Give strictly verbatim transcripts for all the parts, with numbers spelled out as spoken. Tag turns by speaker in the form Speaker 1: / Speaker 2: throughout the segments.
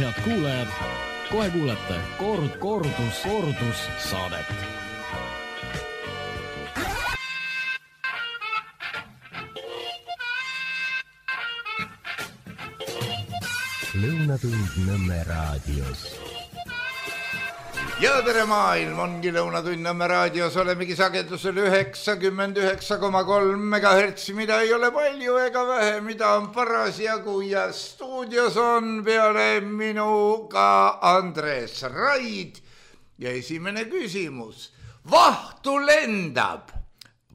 Speaker 1: head kuulajad, kohe kuulete Kord, kordus, kordus saadet.
Speaker 2: Lõunatund Nõmme raadios.
Speaker 3: Ja tere maailm, ongi Lõunatund Nõmme raadios, olemegi sagedusel üheksakümmend üheksa koma kolm megahertsi, mida ei ole palju ega vähe, mida on parasjagu ja stuudios on peale minuga Andres Raid ja esimene küsimus. Vahtu lendab.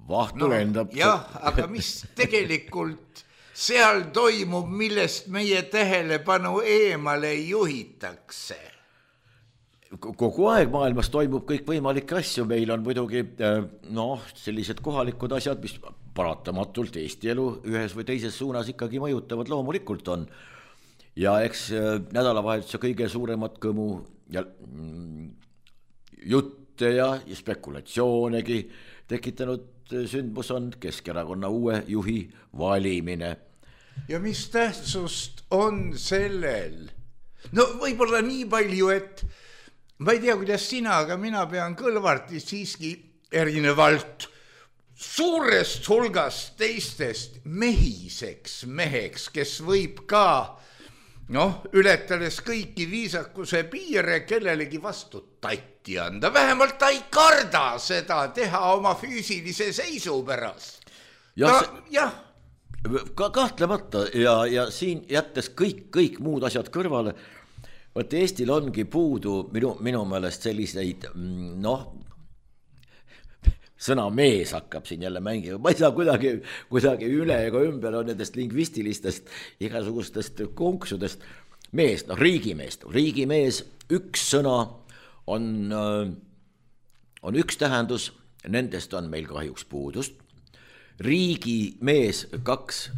Speaker 4: Vahtu no, lendab.
Speaker 3: Jah, aga mis tegelikult seal toimub, millest meie tähelepanu eemale juhitakse?
Speaker 4: Kogu aeg maailmas toimub kõik võimalikke asju, meil on muidugi noh, sellised kohalikud asjad, mis paratamatult Eesti elu ühes või teises suunas ikkagi mõjutavad, loomulikult on. Ja eks nädalavahetuse kõige suuremat kõmu ja jutte ja spekulatsioonegi tekitanud sündmus on Keskerakonna uue juhi valimine.
Speaker 3: Ja mis tähtsust on sellel? No võib-olla nii palju, et ma ei tea, kuidas sina, aga mina pean Kõlvarti siiski erinevalt suurest hulgast teistest mehiseks meheks, kes võib ka, noh, ületades kõiki viisakuse piire kellelegi vastu tatti anda. Vähemalt ta ei karda seda teha oma füüsilise seisu pärast.
Speaker 4: Jah,
Speaker 3: Ta, jah.
Speaker 4: Ka kahtlemata ja, ja siin jättes kõik, kõik muud asjad kõrvale, võt Eestil ongi puudu minu, minu meelest selliseid, noh, sõna mees hakkab siin jälle mängima, ma ei saa kuidagi, kuidagi üle ega ümber on nendest lingvistilistest igasugustest konksudest. Mees, noh, riigimees, riigimees, üks sõna on, on üks tähendus, nendest on meil kahjuks puudust. Riigimees kaks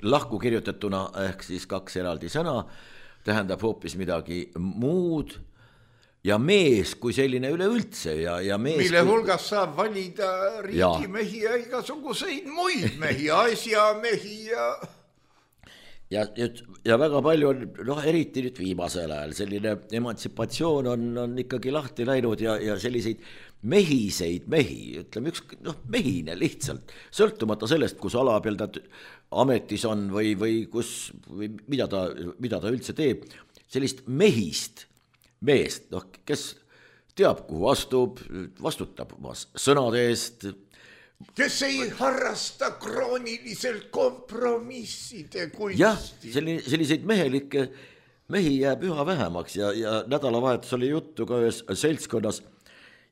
Speaker 4: lahku kirjutatuna ehk siis kaks eraldi sõna tähendab hoopis midagi muud ja mees kui selline üleüldse ja, ja mees
Speaker 3: mille
Speaker 4: kui...
Speaker 3: hulgas saab valida riigimehi ja igasuguseid muid mehi, asjamehi ja
Speaker 4: ja, ja väga palju on, noh, eriti nüüd viimasel ajal selline emantsipatsioon on, on ikkagi lahti läinud ja, ja selliseid mehiseid mehi, ütleme üks, noh, mehine lihtsalt, sõltumata sellest, kus ala peal ta ametis on või, või kus, või mida ta, mida ta üldse teeb, sellist mehist meest, noh, kes teab, kuhu astub, vastutab oma sõnade eest,
Speaker 3: kes ei harrasta krooniliselt kompromisside kunsti.
Speaker 4: jah, selliseid mehelikke mehi jääb üha vähemaks ja, ja nädalavahetus oli juttu ka ühes seltskonnas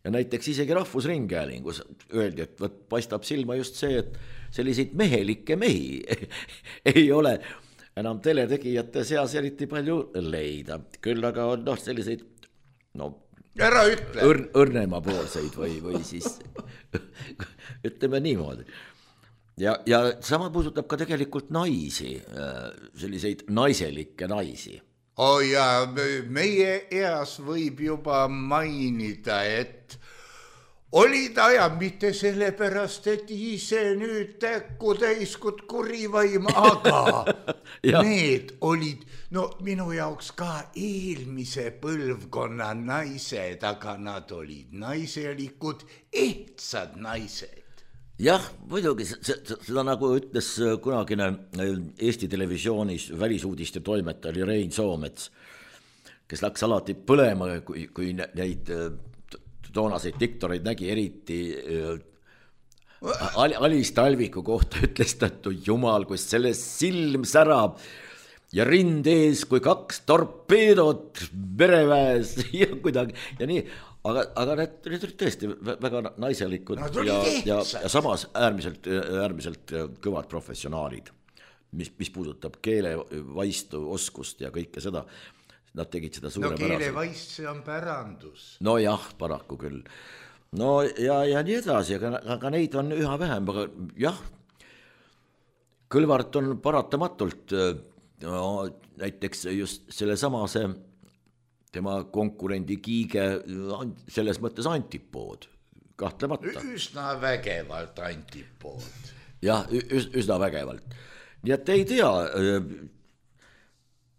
Speaker 4: ja näiteks isegi Rahvusringhäälingus öeldi, et võt, paistab silma just see, et selliseid mehelikke mehi ei ole enam teletegijate seas eriti palju leida. Küll aga on noh, selliseid no,
Speaker 3: ära ütle.
Speaker 4: Õr, õrnema poolseid või, või siis ütleme niimoodi. Ja, ja sama puudutab ka tegelikult naisi, selliseid naiselikke naisi.
Speaker 3: Oh ja meie eas võib juba mainida, et olid ajad mitte sellepärast, et ise nüüd täkku täiskut kurivaim, aga need olid, no minu jaoks ka eelmise põlvkonna naised, aga nad olid naiselikud, ehtsad naised.
Speaker 4: Jah, muidugi, seda nagu ütles kunagine Eesti televisioonis välisuudiste toimetaja oli Rein Soomets, kes läks alati põlema, kui, kui neid toonaseid diktoreid nägi eriti Alis Talviku kohta ütles ta, et jumal, kui selle silm särab ja rind ees kui kaks torpeedot mereväes ja kuidagi ja nii. Aga, aga need, need olid tõesti väga naiselikud no, ja, ja, ja samas äärmiselt, äärmiselt kõvad professionaalid, mis, mis puudutab keele vaistu oskust ja kõike seda. Nad tegid seda suure
Speaker 3: no,
Speaker 4: päraselt.
Speaker 3: No keele vaist, see on pärandus.
Speaker 4: No jah, paraku küll. No ja, ja nii edasi, aga, aga neid on üha vähem. Aga jah, Kõlvart on paratamatult no, näiteks just selle samase tema konkurendi Kiige selles mõttes antipood, kahtlemata.
Speaker 3: Üsna vägevalt antipood.
Speaker 4: Jah, üs, üsna vägevalt. Nii et ei tea,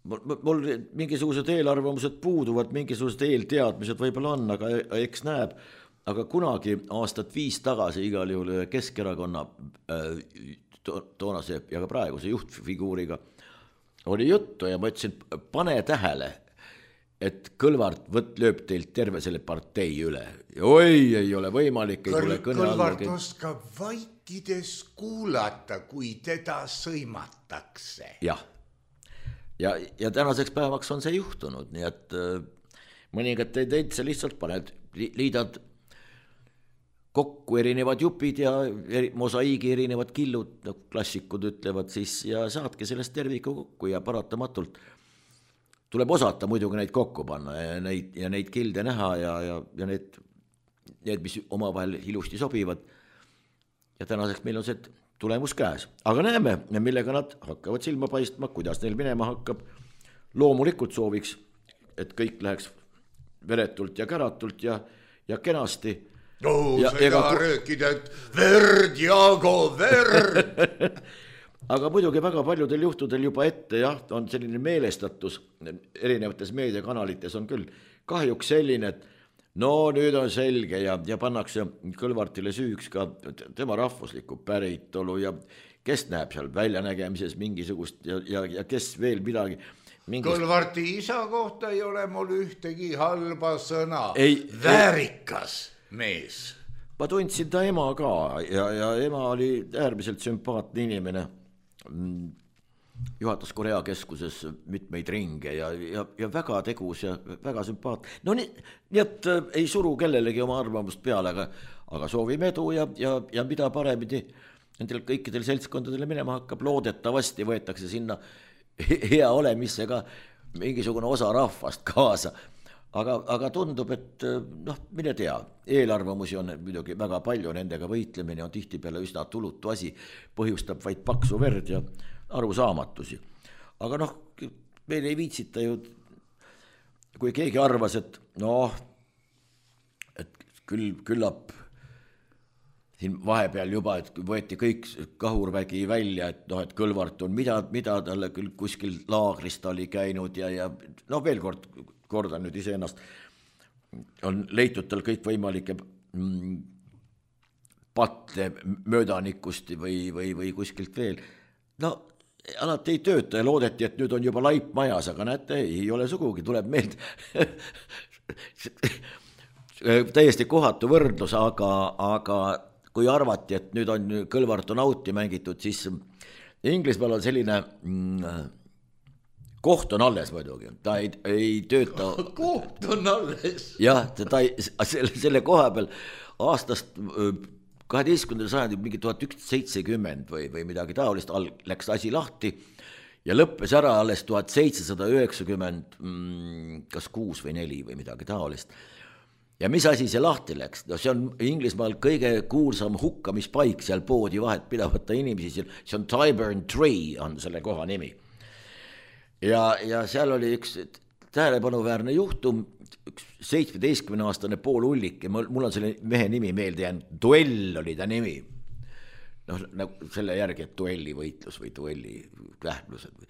Speaker 4: mul mingisugused eelarvamused puuduvad, mingisugused eelteadmised võib-olla on, aga eks näeb, aga kunagi aastat viis tagasi igal juhul Keskerakonna to, toonase ja ka praeguse juhtfiguuriga oli juttu ja ma ütlesin, pane tähele, et Kõlvart võt lööb teilt terve selle partei üle. Oi, ei ole võimalik.
Speaker 3: Kõl, Kõlvart oskab vaikides kuulata, kui teda sõimatakse.
Speaker 4: Jah. Ja, ja tänaseks päevaks on see juhtunud, nii et mõningad teid see lihtsalt paned, liidad kokku erinevad jupid ja eri, mosaiigi erinevad killud, no klassikud ütlevad siis, ja saadki sellest terviku kokku ja paratamatult tuleb osata muidugi neid kokku panna ja neid, ja neid kilde näha ja, ja, ja need, need, mis omavahel ilusti sobivad. Ja tänaseks meil on see tulemus käes. Aga näeme, millega nad hakkavad silma paistma, kuidas neil minema hakkab. Loomulikult sooviks, et kõik läheks veretult ja käratult ja, ja kenasti.
Speaker 3: No, ja, sa ei taha ku... röökida, et verd, Jaago, verd!
Speaker 4: Aga muidugi väga paljudel juhtudel juba ette, jah, on selline meelestatus, erinevates meediakanalites on küll kahjuks selline, et no nüüd on selge ja, ja pannakse Kõlvartile süüks ka tema rahvuslikku päritolu ja kes näeb seal väljanägemises mingisugust ja, ja, ja kes veel midagi. Mingist...
Speaker 3: Kõlvarti isa kohta ei ole mul ühtegi halba sõna. Ei, Väärikas ei... mees.
Speaker 4: Ma tundsin ta ema ka ja, ja ema oli äärmiselt sümpaatne inimene. Juhatas Korea keskuses mitmeid ringe ja, ja, ja väga tegus ja väga sümpaat. No nii, nii et äh, ei suru kellelegi oma arvamust peale, aga, aga soovime edu ja, ja, ja mida paremini nendel kõikidel seltskondadele minema hakkab, loodetavasti võetakse sinna hea olemisse ka mingisugune osa rahvast kaasa. Aga, aga tundub, et noh, mine tea, eelarvamusi on muidugi väga palju, nendega võitlemine on tihti peale üsna tulutu asi, põhjustab vaid paksu verd ja arusaamatusi. Aga noh, meil ei viitsita ju, kui keegi arvas, et noh, et küll, küllap siin vahepeal juba, et võeti kõik kahurvägi välja, et noh, et Kõlvart on mida, mida talle küll kuskil laagrist oli käinud ja, ja no veel kord kordan nüüd ise ennast, on leitud tal kõik võimalike mm, patte möödanikust või, või, või kuskilt veel. No alati ei tööta ja loodeti, et nüüd on juba laip majas, aga näete, ei ole sugugi, tuleb meeld täiesti kohatu võrdlus, aga, aga kui arvati, et nüüd on Kõlvart on auti mängitud, siis Inglismaal on selline mm, koht on alles muidugi, ta ei, ei tööta.
Speaker 3: Koht on alles.
Speaker 4: Jah, ta ei, selle, selle koha peal aastast kaheteistkümnendal sajandil mingi tuhat ükssada seitsekümmend või, või midagi taolist läks asi lahti ja lõppes ära alles tuhat seitsesada üheksakümmend, kas kuus või neli või midagi taolist. Ja mis asi see lahti läks? No see on Inglismaal kõige kuulsam hukkamispaik seal poodi vahet pidavata inimesi, see on Tyburn Tree on selle koha nimi. Ja, ja seal oli üks tähelepanuväärne juhtum, üks seitsmeteistkümne aastane Pool Ullik ja mul on selle mehe nimi meelde jäänud, Duell oli ta nimi. Noh, nagu selle järgi, et duelli võitlus või duelli lähmlused.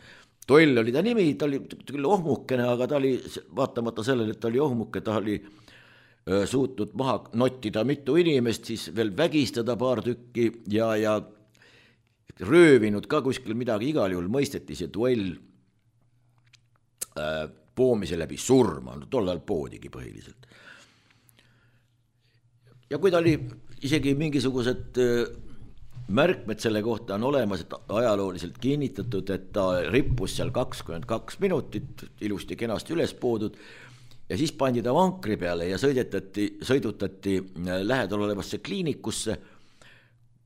Speaker 4: Duell oli ta nimi, ta oli küll ohmukene, aga ta oli, vaatamata sellele, et ta oli ohmuke, ta oli öö, suutnud maha nottida mitu inimest, siis veel vägistada paar tükki ja, ja röövinud ka kuskil midagi, igal juhul mõisteti see duell poomise läbi surma, tollal poodigi põhiliselt. Ja kui ta oli isegi mingisugused märkmed selle kohta on olemas, et ajalooliselt kinnitatud, et ta rippus seal kakskümmend kaks minutit, ilusti kenasti üles poodud ja siis pandi ta vankri peale ja sõidetati, sõidutati lähedal olevasse kliinikusse,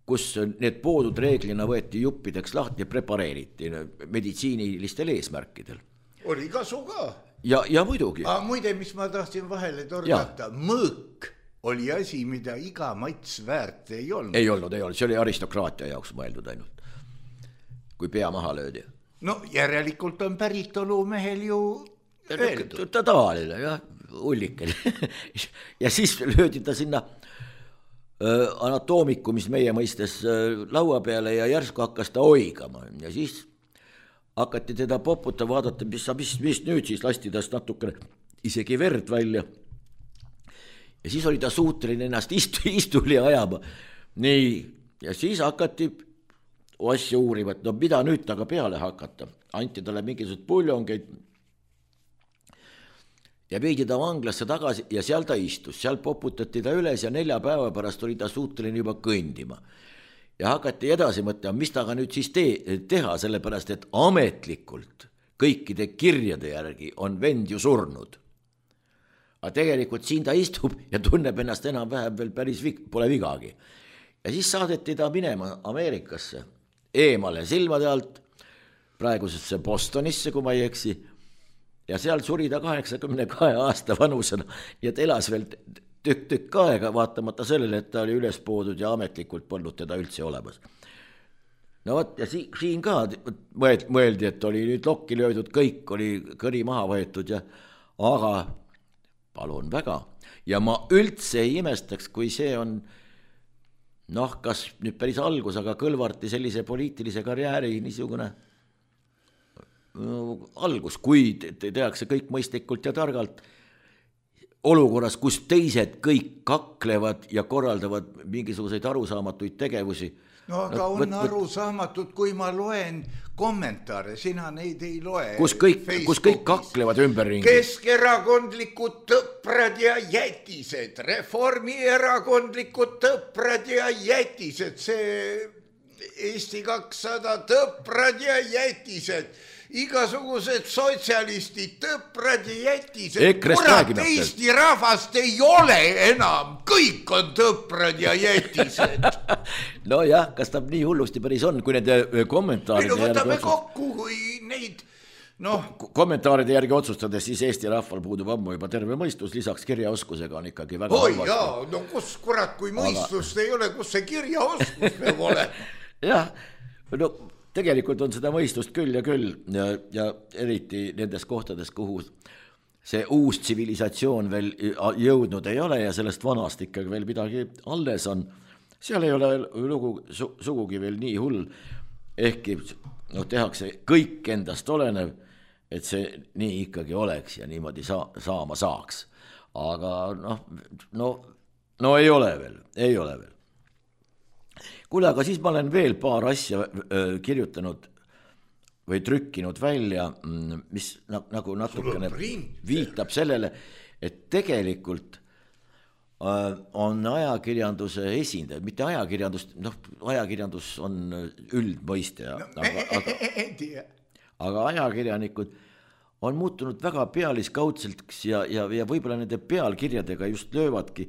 Speaker 4: kus need poodud reeglina võeti juppideks lahti ja prepareeriti meditsiinilistel eesmärkidel.
Speaker 3: Oli kasu ka.
Speaker 4: Ja, ja muidugi.
Speaker 3: Aga muide, mis ma tahtsin vahele torgata, mõõk oli asi, mida iga mats väärt ei olnud.
Speaker 4: Ei olnud, ei olnud, see oli aristokraatia jaoks mõeldud ainult, kui pea maha löödi.
Speaker 3: No järelikult on päritolu mehel ju öeldud.
Speaker 4: Ta tavaline, jah, ullikene. Ja siis löödi ta sinna anatoomiku, mis meie mõistes laua peale ja järsku hakkas ta oigama ja siis hakati teda poputa, vaadata, mis, mis, mis nüüd siis, lasti tast natukene isegi verd välja. Ja siis oli ta suuteline ennast istu, istuli ajama. Nii, ja siis hakati asja uurima, et no mida nüüd taga peale hakata. Anti talle mingisugused puljongeid ja veidi ta vanglasse tagasi ja seal ta istus. Seal poputati ta üles ja nelja päeva pärast oli ta suuteline juba kõndima. Ja hakati edasi mõtlema, mis taga nüüd siis te- teha, sellepärast, et ametlikult kõikide kirjade järgi on vend ju surnud. Aga tegelikult siin ta istub ja tunneb ennast enam-vähem veel päris vig- pole vigagi. Ja siis saadeti ta minema Ameerikasse, eemale silmade alt, praegusesse Bostonisse, kui ma ei eksi, ja seal suri ta kaheksakümne kahe aasta vanusena ja ta elas veel tükk-tükk aega, vaatamata sellele, et ta oli üles poodud ja ametlikult polnud teda üldse olemas. No võt, ja si- siin ka mõeldi, et oli nüüd lokki löödud, kõik oli kõri maha võetud, ja, aga palun väga. Ja ma üldse ei imestaks, kui see on, noh, kas nüüd päris algus, aga Kõlvarti sellise poliitilise karjääri niisugune no, algus, kui te tehakse kõik mõistlikult ja targalt, olukorras, kus teised kõik kaklevad ja korraldavad mingisuguseid arusaamatuid tegevusi.
Speaker 3: No aga no, on võt, arusaamatud, kui ma loen kommentaare, sina neid ei loe.
Speaker 4: Kus kõik, kus kõik kaklevad ümberringi.
Speaker 3: Keskerakondlikud tõprad ja jätised, reformierakondlikud tõprad ja jätised, see Eesti kakssada tõprad ja jätised, igasugused sotsialistid, tõprad ja jätised, kurat, Eesti rahvast ei ole enam, kõik on tõprad ja jätised.
Speaker 4: No jah, kas ta nii hullusti päris on, kui nende kommentaaride
Speaker 3: järgi võtame kokku, kui neid noh,
Speaker 4: kommentaaride järgi otsustades, siis Eesti rahval puudub ammu juba terve mõistus, lisaks kirjaoskusega on ikkagi väga
Speaker 3: oi halvasti. Jaa, no kus kurat, kui mõistust aga... ei ole, kus see kirjaoskus peab olema?
Speaker 4: Jah, no tegelikult on seda mõistust küll ja küll ja, ja eriti nendes kohtades, kuhu see uus tsivilisatsioon veel jõudnud ei ole ja sellest vanast ikkagi veel midagi alles on. Seal ei ole lugu su, sugugi veel nii hull, ehkki no, tehakse kõik endast olenev, et see nii ikkagi oleks ja niimoodi saa, saama saaks. Aga noh, no, no ei ole veel, ei ole veel. Kuule, aga siis ma olen veel paar asja äh, kirjutanud või trükkinud välja, mis nagu natukene viitab sellele, et tegelikult äh, on ajakirjanduse esindajad, mitte ajakirjandus, noh, ajakirjandus on üldmõiste, no, aga, aga, aga ajakirjanikud on muutunud väga pealiskaudselt ja, ja, ja võib-olla nende pealkirjadega just löövadki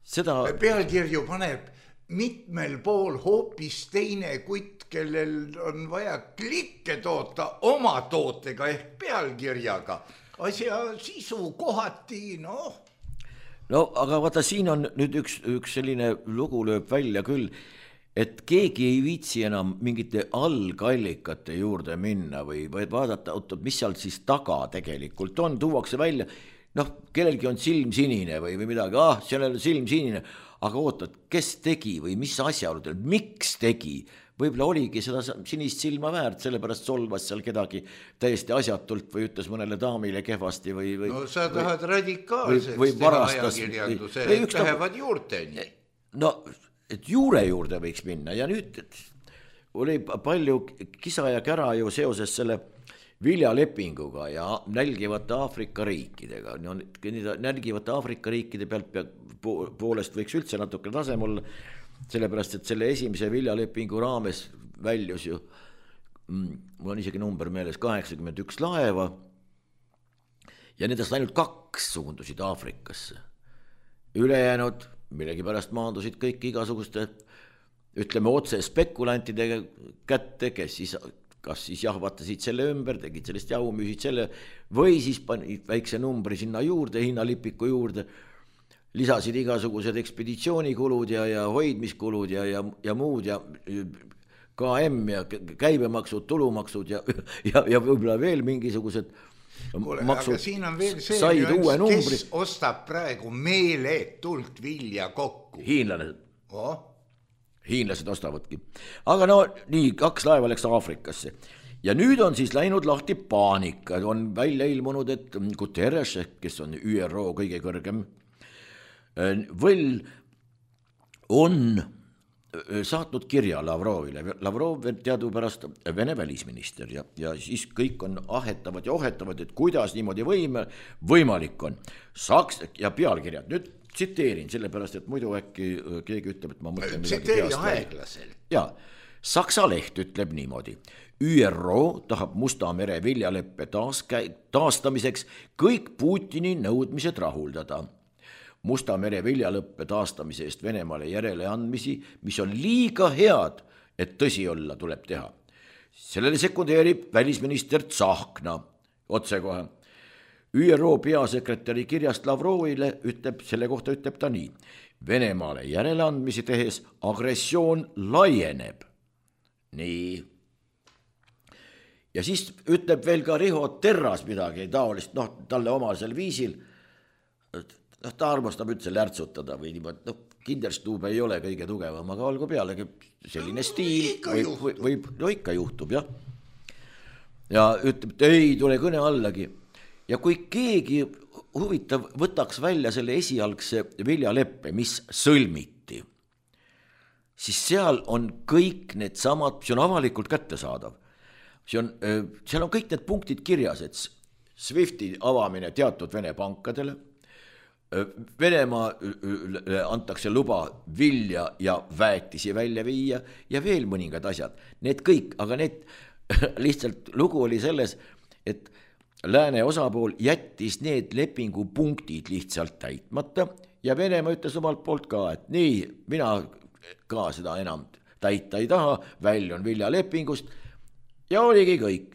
Speaker 4: seda.
Speaker 3: Pealkirju paneb mitmel pool hoopis teine kutt, kellel on vaja klikke toota oma tootega ehk pealkirjaga. Asja sisu kohati, noh.
Speaker 4: No, aga vaata, siin on nüüd üks, üks selline lugu lööb välja küll, et keegi ei viitsi enam mingite algallikate juurde minna või, või vaadata, mis seal siis taga tegelikult on, tuuakse välja, noh, kellelgi on silm sinine või, või midagi, ah, sellel on silm sinine, aga ootad, kes tegi või mis asjaoludel, miks tegi, võib-olla oligi seda sinist silma väärt, sellepärast solvas seal kedagi täiesti asjatult või ütles mõnele daamile kehvasti või, või
Speaker 3: no sa tahad või, radikaalseks või, või teha ajakirjanduse, et lähevad juurteni.
Speaker 4: No, et juure juurde võiks minna ja nüüd oli palju kisa ja kära ju seoses selle viljalepinguga ja nälgivate Aafrika riikidega. No, nälgivate Aafrika riikide pealt poolest võiks üldse natuke tasem olla, sellepärast, et selle esimese viljalepingu raames väljus ju, mul on isegi number meeles, kaheksakümmend üks laeva ja nendest ainult kaks suundusid Aafrikasse. Ülejäänud millegi pärast maandusid kõik igasuguste, ütleme otse spekulantide kätte, kes siis kas siis jahvatasid selle ümber, tegid sellest jahu, müüsid selle või siis panid väikse numbri sinna juurde, hinnalipiku juurde, lisasid igasugused ekspeditsioonikulud ja, ja hoidmiskulud ja, ja, ja muud ja K M ja käibemaksud, tulumaksud ja, ja, ja võib-olla veel mingisugused
Speaker 3: Kule,
Speaker 4: maksud.
Speaker 3: Aga siin on veel see, kes ostab praegu meeletult vilja kokku.
Speaker 4: Hiinlased.
Speaker 3: Oh.
Speaker 4: Hiinlased ostavadki. Aga no nii, kaks laeva läks Aafrikasse. ja nüüd on siis läinud lahti paanika, on välja ilmunud, et Guterres, kes on Ü R O kõige kõrgem võll, on saatnud kirja Lavrovile. Lavrov teadupärast Vene välisminister ja, ja siis kõik on ahetavad ja ohetavad, et kuidas niimoodi võime, võimalik on. Saks ja pealkirjad, nüüd tsiteerin, sellepärast, et muidu äkki keegi ütleb, et ma mõtlen midagi
Speaker 3: tsiteeri aeglaselt.
Speaker 4: Ja, Saksa leht ütleb niimoodi. Ü R O tahab Musta mere viljaleppe taas, taastamiseks kõik Putini nõudmised rahuldada. Musta mere viljalõppe taastamise eest Venemaale järele andmisi, mis on liiga head, et tõsi olla tuleb teha. Sellele sekundeerib välisminister Tsahkna otsekohe. Ü R O peasekretäri kirjast Lavrovile ütleb, selle kohta ütleb ta nii. Venemaale järele andmisi tehes agressioon laieneb. Nii. Ja siis ütleb veel ka Riho Terras midagi taolist, noh, talle omasel viisil. noh, ta armastab üldse lärtsutada või niimoodi, noh, Kinderstube ei ole kõige tugevam, aga olgu pealegi selline stiil, võib, võib, võib, no ikka juhtub, jah. Ja ütleb, et ei tule kõne allagi. Ja kui keegi huvitav võtaks välja selle esialgse viljaleppe, mis sõlmiti, siis seal on kõik need samad, see on avalikult kättesaadav. See on, seal on kõik need punktid kirjas, et Swifti avamine teatud Vene pankadele, Venemaa antakse luba vilja ja väetisi välja viia ja veel mõningad asjad. Need kõik, aga need lihtsalt lugu oli selles, et lääne osapool jättis need lepingupunktid lihtsalt täitmata ja Venemaa ütles omalt poolt ka, et nii, mina ka seda enam täita ei taha, väljun viljalepingust ja oligi kõik.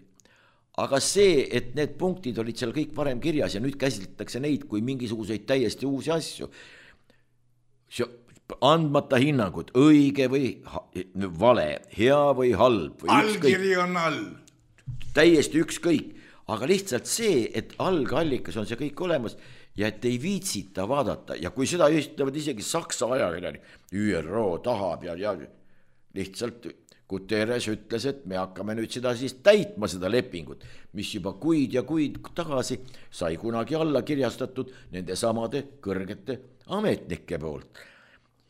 Speaker 4: Aga see, et need punktid olid seal kõik varem kirjas ja nüüd käsitletakse neid kui mingisuguseid täiesti uusi asju, andmata hinnangud, õige või vale, hea või halb. Või
Speaker 3: allkiri on all.
Speaker 4: Täiesti ükskõik, aga lihtsalt see, et algallikas on see kõik olemas ja et ei viitsita vaadata ja kui seda ütlevad isegi Saksa ajakirjani, Ü R O tahab ja, ja lihtsalt Guterres ütles, et me hakkame nüüd seda siis täitma seda lepingut, mis juba kuid ja kuid tagasi sai kunagi alla kirjastatud nende samade kõrgete ametnike poolt.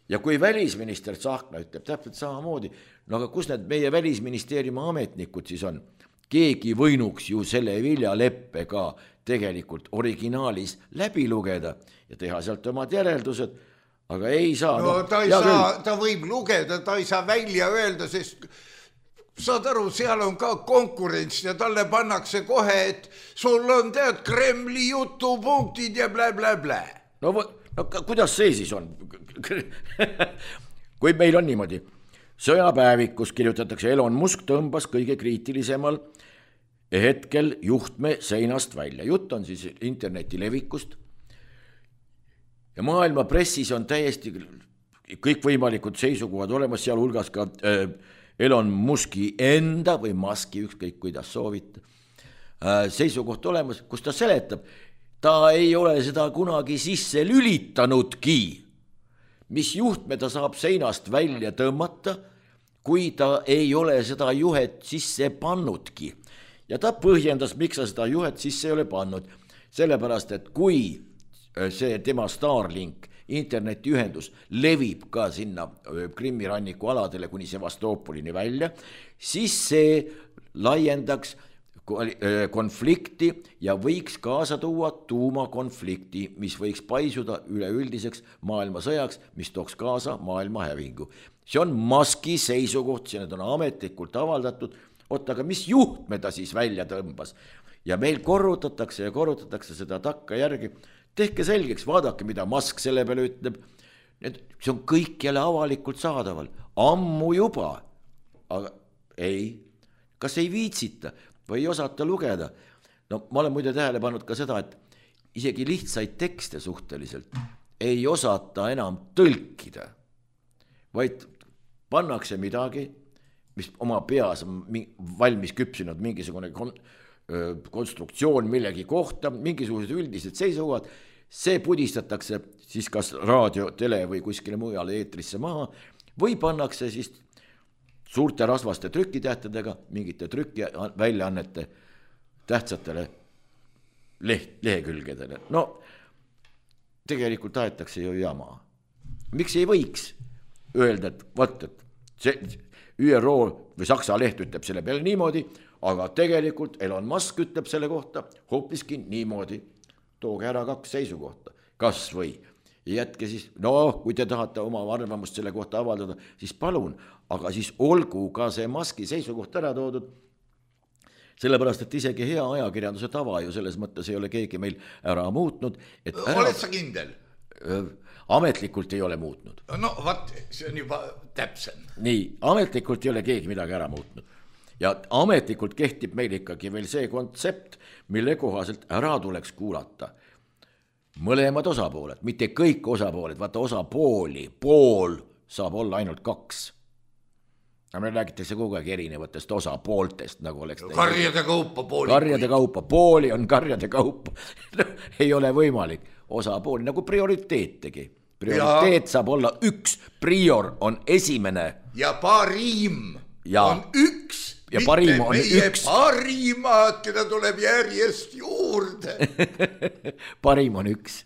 Speaker 4: Ja kui välisminister Tsahkna ütleb täpselt samamoodi, no aga kus need meie välisministeeriumi ametnikud siis on? Keegi võinuks ju selle viljaleppe ka tegelikult originaalis läbi lugeda ja teha sealt omad järeldused, aga ei saa.
Speaker 3: No ta ei saa, ta võib lugeda, ta ei saa välja öelda, sest saad aru, seal on ka konkurents ja talle pannakse kohe, et sul on tead Kremli jutupunktid ja blä, blä, blä.
Speaker 4: No, no kuidas see siis on? Kui meil on niimoodi, sõjapäevikus kirjutatakse, Elon Musk tõmbas kõige kriitilisemal hetkel juhtme seinast välja. Jutt on siis interneti levikust. Ja maailma pressis on täiesti kõikvõimalikud seisukohad olemas, seal hulgas ka äh, Elon Muski enda või Muski, ükskõik kuidas soovita, äh, seisukoht olemas, kus ta seletab, ta ei ole seda kunagi sisse lülitanudki, mis juhtme ta saab seinast välja tõmmata, kui ta ei ole seda juhet sisse pannudki. Ja ta põhjendas, miks ta seda juhet sisse ei ole pannud, sellepärast, et kui see tema Starlink internetiühendus levib ka sinna Krimmi ranniku aladele kuni Sevastoopolini välja, siis see laiendaks konflikti ja võiks kaasa tuua tuumakonflikti, mis võiks paisuda üleüldiseks maailmasõjaks, mis tooks kaasa maailma hävingu. See on Muski seisukoht, see on ametlikult avaldatud, oot, aga mis juhtme ta siis välja tõmbas? Ja meil korrutatakse ja korrutatakse seda takka järgi. Tehke selgeks, vaadake, mida Musk selle peale ütleb. See on kõik jälle avalikult saadaval. Ammu juba. Aga ei. Kas ei viitsita või ei osata lugeda? No ma olen muide tähele pannud ka seda, et isegi lihtsaid tekste suhteliselt ei osata enam tõlkida. Vaid pannakse midagi, mis oma peas on valmis küpsinud mingisugune kon- konstruktsioon millegi kohta, mingisugused üldised seisukohad, see pudistatakse siis kas raadio, tele või kuskile mujale eetrisse maha või pannakse siis suurte rasvaste trükitähtedega mingite trüki väljaannete tähtsatele leht, lehekülgedele. No tegelikult tahetakse ju jama. Miks ei võiks öelda, et vaat, et see Ü R O või Saksa leht ütleb selle peale niimoodi, aga tegelikult Elon Musk ütleb selle kohta hoopiski niimoodi. Tooge ära kaks seisukohta, kas või jätke siis, no kui te tahate oma arvamust selle kohta avaldada, siis palun, aga siis olgu ka see Muski seisukoht ära toodud, sellepärast, et isegi hea ajakirjanduse tava ju selles mõttes ei ole keegi meil ära muutnud. Et ära...
Speaker 3: Oled sa kindel?
Speaker 4: Ametlikult ei ole muutnud.
Speaker 3: No vaat, see on juba täpsem.
Speaker 4: Nii, ametlikult ei ole keegi midagi ära muutnud. Ja ametlikult kehtib meil ikkagi veel see kontsept, mille kohaselt ära tuleks kuulata mõlemad osapooled, mitte kõik osapooled, vaata osapooli, pool saab olla ainult kaks. Aga meil räägitakse kogu aeg erinevatest osapooltest, nagu oleks
Speaker 3: karjade kaupa pooli.
Speaker 4: Karjade kaupa, pooli on karjade kaupa. No, ei ole võimalik osapooli, nagu prioriteetegi. Prioriteet ja... saab olla üks, prior on esimene.
Speaker 3: Ja parim ja... on üks.
Speaker 4: Ja parim on
Speaker 3: meie
Speaker 4: üks.
Speaker 3: Parimad, keda tuleb järjest juurde.
Speaker 4: Parim on üks.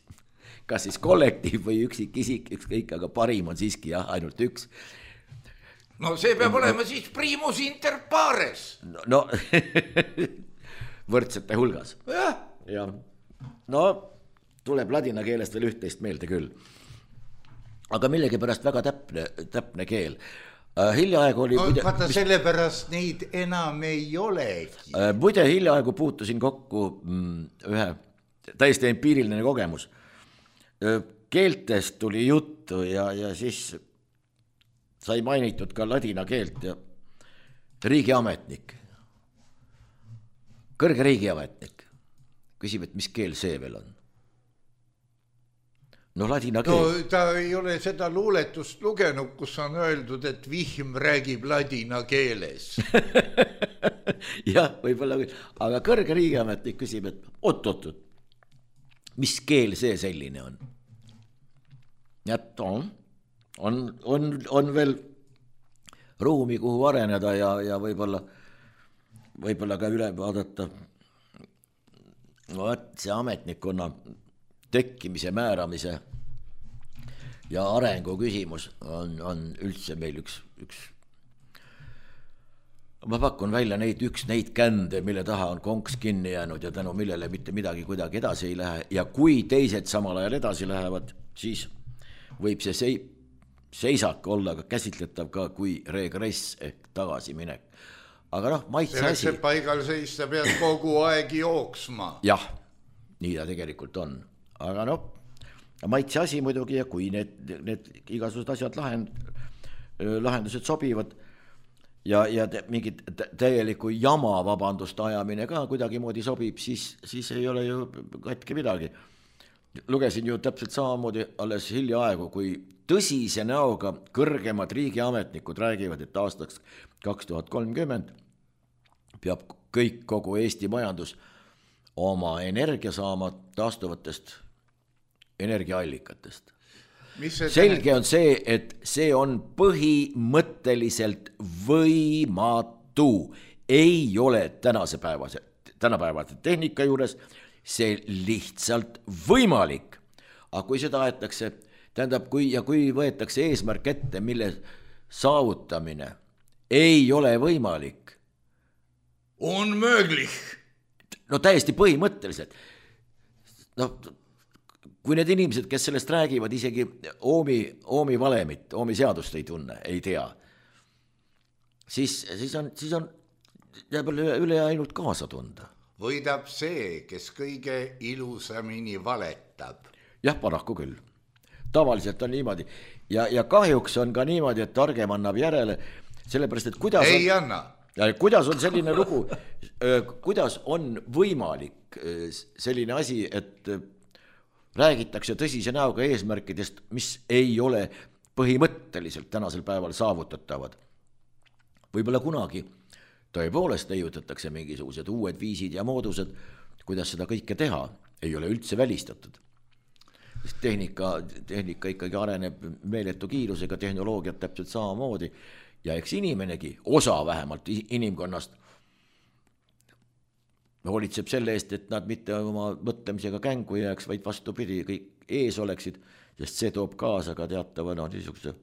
Speaker 4: Kas siis kollektiiv või üksik isik, ükskõik, aga parim on siiski jah, ainult üks.
Speaker 3: No see peab olema siis primus inter pares.
Speaker 4: No, no võrdsete hulgas.
Speaker 3: Jah.
Speaker 4: Ja. No tuleb ladina keelest veel üht-teist meelde küll. Aga millegipärast väga täpne, täpne keel. Uh, hiljaaegu oli...
Speaker 3: No, muide, vaata mis... sellepärast neid enam ei olegi.
Speaker 4: Uh, muide hiljaaegu puutusin kokku mm, ühe täiesti empiiriline kogemus. Uh, keeltest tuli juttu ja, ja siis sai mainitud ka ladina keelt ja riigiametnik. Kõrge riigiametnik. Küsib, et mis keel see veel on? No ladina keel.
Speaker 3: No ta ei ole seda luuletust lugenud, kus on öeldud, et vihm räägib ladina keeles.
Speaker 4: Jah, võib-olla, aga kõrge riigiametnik küsib, et oot, oot, oot, mis keel see selline on? Et on, on, on, on veel ruumi, kuhu areneda ja, ja võib-olla, võib-olla ka üle vaadata. No, et see ametnikkonna tekkimise, määramise ja arengu küsimus on, on üldse meil üks, üks. Ma pakun välja neid, üks neid kände, mille taha on konks kinni jäänud ja tänu millele mitte midagi kuidagi edasi ei lähe. Ja kui teised samal ajal edasi lähevad, siis võib see sei, seisak olla ka käsitletav ka kui regress ehk tagasiminek. Aga noh, maitse asi.
Speaker 3: See paigal seista pead kogu aeg jooksma.
Speaker 4: Jah, nii ta tegelikult on. Aga noh, maitse asi muidugi ja kui need, need igasugused asjad lahend, lahendused sobivad ja, ja te, mingid täieliku jama vabandust ajamine ka kuidagi moodi sobib, siis, siis ei ole ju katki midagi. Lugesin ju täpselt samamoodi alles hiljaaegu, kui tõsise näoga kõrgemad riigiametnikud räägivad, et aastaks kaks tuhat kolmkümmend peab kõik kogu Eesti majandus oma energia saama taastuvatest energiaallikatest. Selge on see, et see on põhimõtteliselt võimatu. Ei ole tänase päevase, tänapäevase tehnika juures see lihtsalt võimalik. Aga kui seda aetakse, tähendab, kui, ja kui võetakse eesmärk ette, mille saavutamine ei ole võimalik.
Speaker 3: On mööglich.
Speaker 4: No täiesti põhimõtteliselt. No, kui need inimesed, kes sellest räägivad, isegi oomi, oomi valemit, oomi seadust ei tunne, ei tea, siis, siis on, siis on jääb üle, üle ainult kaasa tunda.
Speaker 3: Võidab see, kes kõige ilusamini valetab.
Speaker 4: Jah, paraku küll. Tavaliselt on niimoodi. Ja, ja kahjuks on ka niimoodi, et targem annab järele, sellepärast, et kuidas
Speaker 3: ei
Speaker 4: on,
Speaker 3: anna.
Speaker 4: Kuidas on selline lugu, kuidas on võimalik selline asi, et räägitakse tõsise näoga eesmärkidest, mis ei ole põhimõtteliselt tänasel päeval saavutatavad. Võib-olla kunagi tõepoolest leiutatakse mingisugused uued viisid ja moodused, kuidas seda kõike teha, ei ole üldse välistatud. Tehnika, tehnika ikkagi areneb meeletu kiirusega, tehnoloogiat täpselt samamoodi ja eks inimenegi, osa vähemalt inimkonnast, hoolitseb selle eest, et nad mitte oma mõtlemisega kängu jääks, vaid vastupidi, kõik ees oleksid, sest see toob kaasa ka teatava no, niisuguse,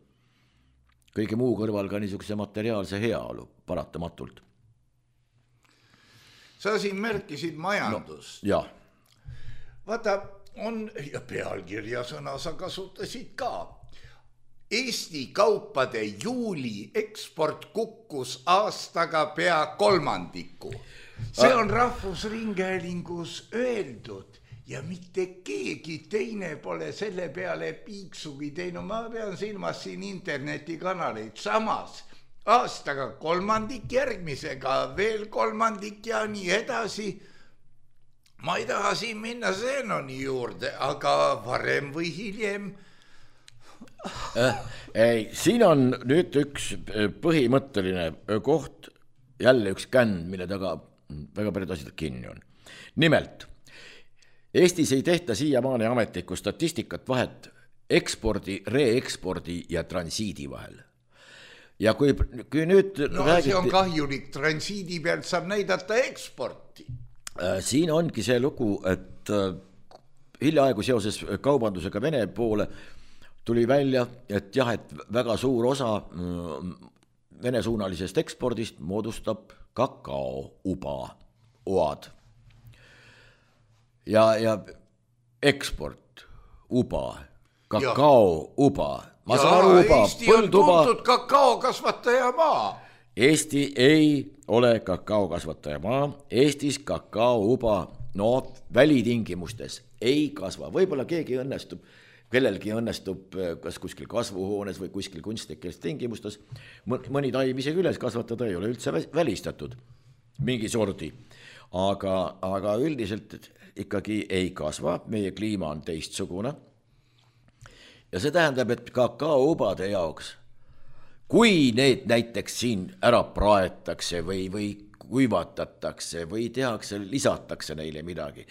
Speaker 4: kõige muu kõrval ka niisuguse materiaalse heaolu paratamatult.
Speaker 3: Sa siin märkisid majandust.
Speaker 4: No, jah.
Speaker 3: Vaata, on, ja pealkirja sõna sa kasutasid ka. Eesti kaupade juuli eksport kukkus aastaga pea kolmandiku. See on Rahvusringhäälingus öeldud ja mitte keegi teine pole selle peale piiksugi teinud. Ma pean silmas siin internetikanaleid. Samas aastaga kolmandik, järgmisega veel kolmandik ja nii edasi. Ma ei taha siin minna Zenoni juurde, aga varem või hiljem.
Speaker 4: Äh, ei, siin on nüüd üks põhimõtteline koht, jälle üks känd, mille taga väga paljud asjad kinni on. Nimelt, Eestis ei tehta siiamaani ametlikku statistikat vahet ekspordi, reekspordi ja transiidi vahel. Ja kui, kui nüüd
Speaker 3: no räägiti, see on kahjulik, transiidi pealt saab näidata eksporti.
Speaker 4: Siin ongi see lugu, et hiljaaegu seoses kaubandusega Vene poole tuli välja, et jah, et väga suur osa Vene suunalisest ekspordist moodustab kakao-uba oad. Ja, ja eksport, uba, kakao-uba. Ma
Speaker 3: ja
Speaker 4: saan aru, uba,
Speaker 3: Eesti on tuntud kakao kasvataja maa.
Speaker 4: Eesti ei ole kakao kasvataja maa. Eestis kakao-uba, no välitingimustes ei kasva. Võib-olla keegi õnnestub, kellelgi õnnestub kas kuskil kasvuhoones või kuskil kunstlikes tingimustes mõni taim isegi üles kasvatada, ei ole üldse välistatud mingi sordi. Aga, aga üldiselt ikkagi ei kasva, meie kliima on teistsugune. Ja see tähendab, et kakao-ubade jaoks, kui need näiteks siin ära praetakse või, või kuivatatakse või tehakse, lisatakse neile midagi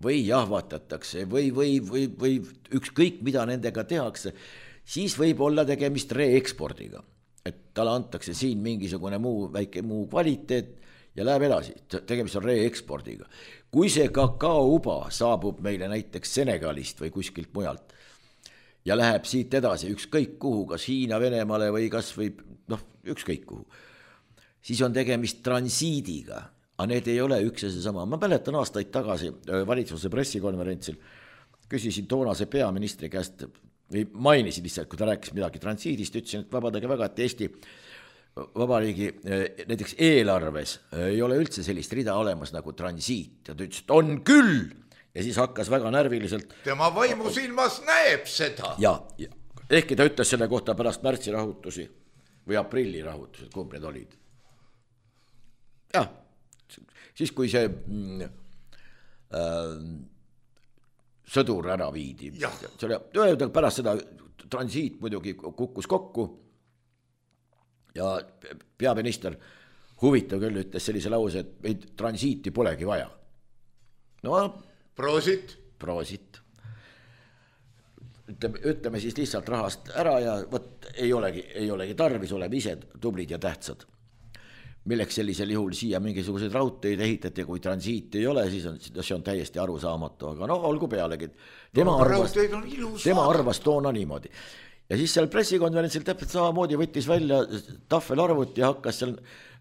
Speaker 4: või jahvatatakse või, või, või, või ükskõik mida nendega tehakse, siis võib olla tegemist reekspordiga. Et talle antakse siin mingisugune muu, väike muu kvaliteet ja läheb edasi, tegemist on reekspordiga. Kui see kakao-uba saabub meile näiteks Senegalist või kuskilt mujalt ja läheb siit edasi ükskõik kuhu, kas Hiina, Venemaale või kas või noh, ükskõik kuhu, siis on tegemist transiidiga. Aga need ei ole üks ja see sama. Ma mäletan aastaid tagasi valitsuse pressikonverentsil, küsisin toonase peaministri käest, või mainisin lihtsalt, kui ta rääkis midagi transiidist, ütlesin, et vabadage väga, et Eesti Vabariigi näiteks eelarves ei ole üldse sellist rida olemas nagu transiit. Ja ta ütles, et on küll! Ja siis hakkas väga närviliselt.
Speaker 3: Tema vaimu silmas näeb seda.
Speaker 4: Ja, ja ehkki ta ütles selle kohta pärast märtsi rahutusi või aprilli rahutused, kumb need olid. Jah, siis kui see mm, äh, sõdur ära viidi. Selle, pärast seda transiit muidugi kukkus kokku ja peaminister huvitav küll ütles sellise lause, et meid transiiti polegi vaja. No,
Speaker 3: Proosit.
Speaker 4: Proosit. Ütleme, ütleme siis lihtsalt rahast ära ja võt, ei olegi, ei olegi tarvis, oleme ise tublid ja tähtsad. Milleks sellisel juhul siia mingisuguseid raudteid ehitati, kui transiit ei ole, siis on, see on täiesti arusaamatu, aga no olgu pealegi. Tema, no, arvas, tema arvas toona niimoodi. Ja siis seal pressikonverentsil täpselt samamoodi võttis välja tahvelarvut ja hakkas seal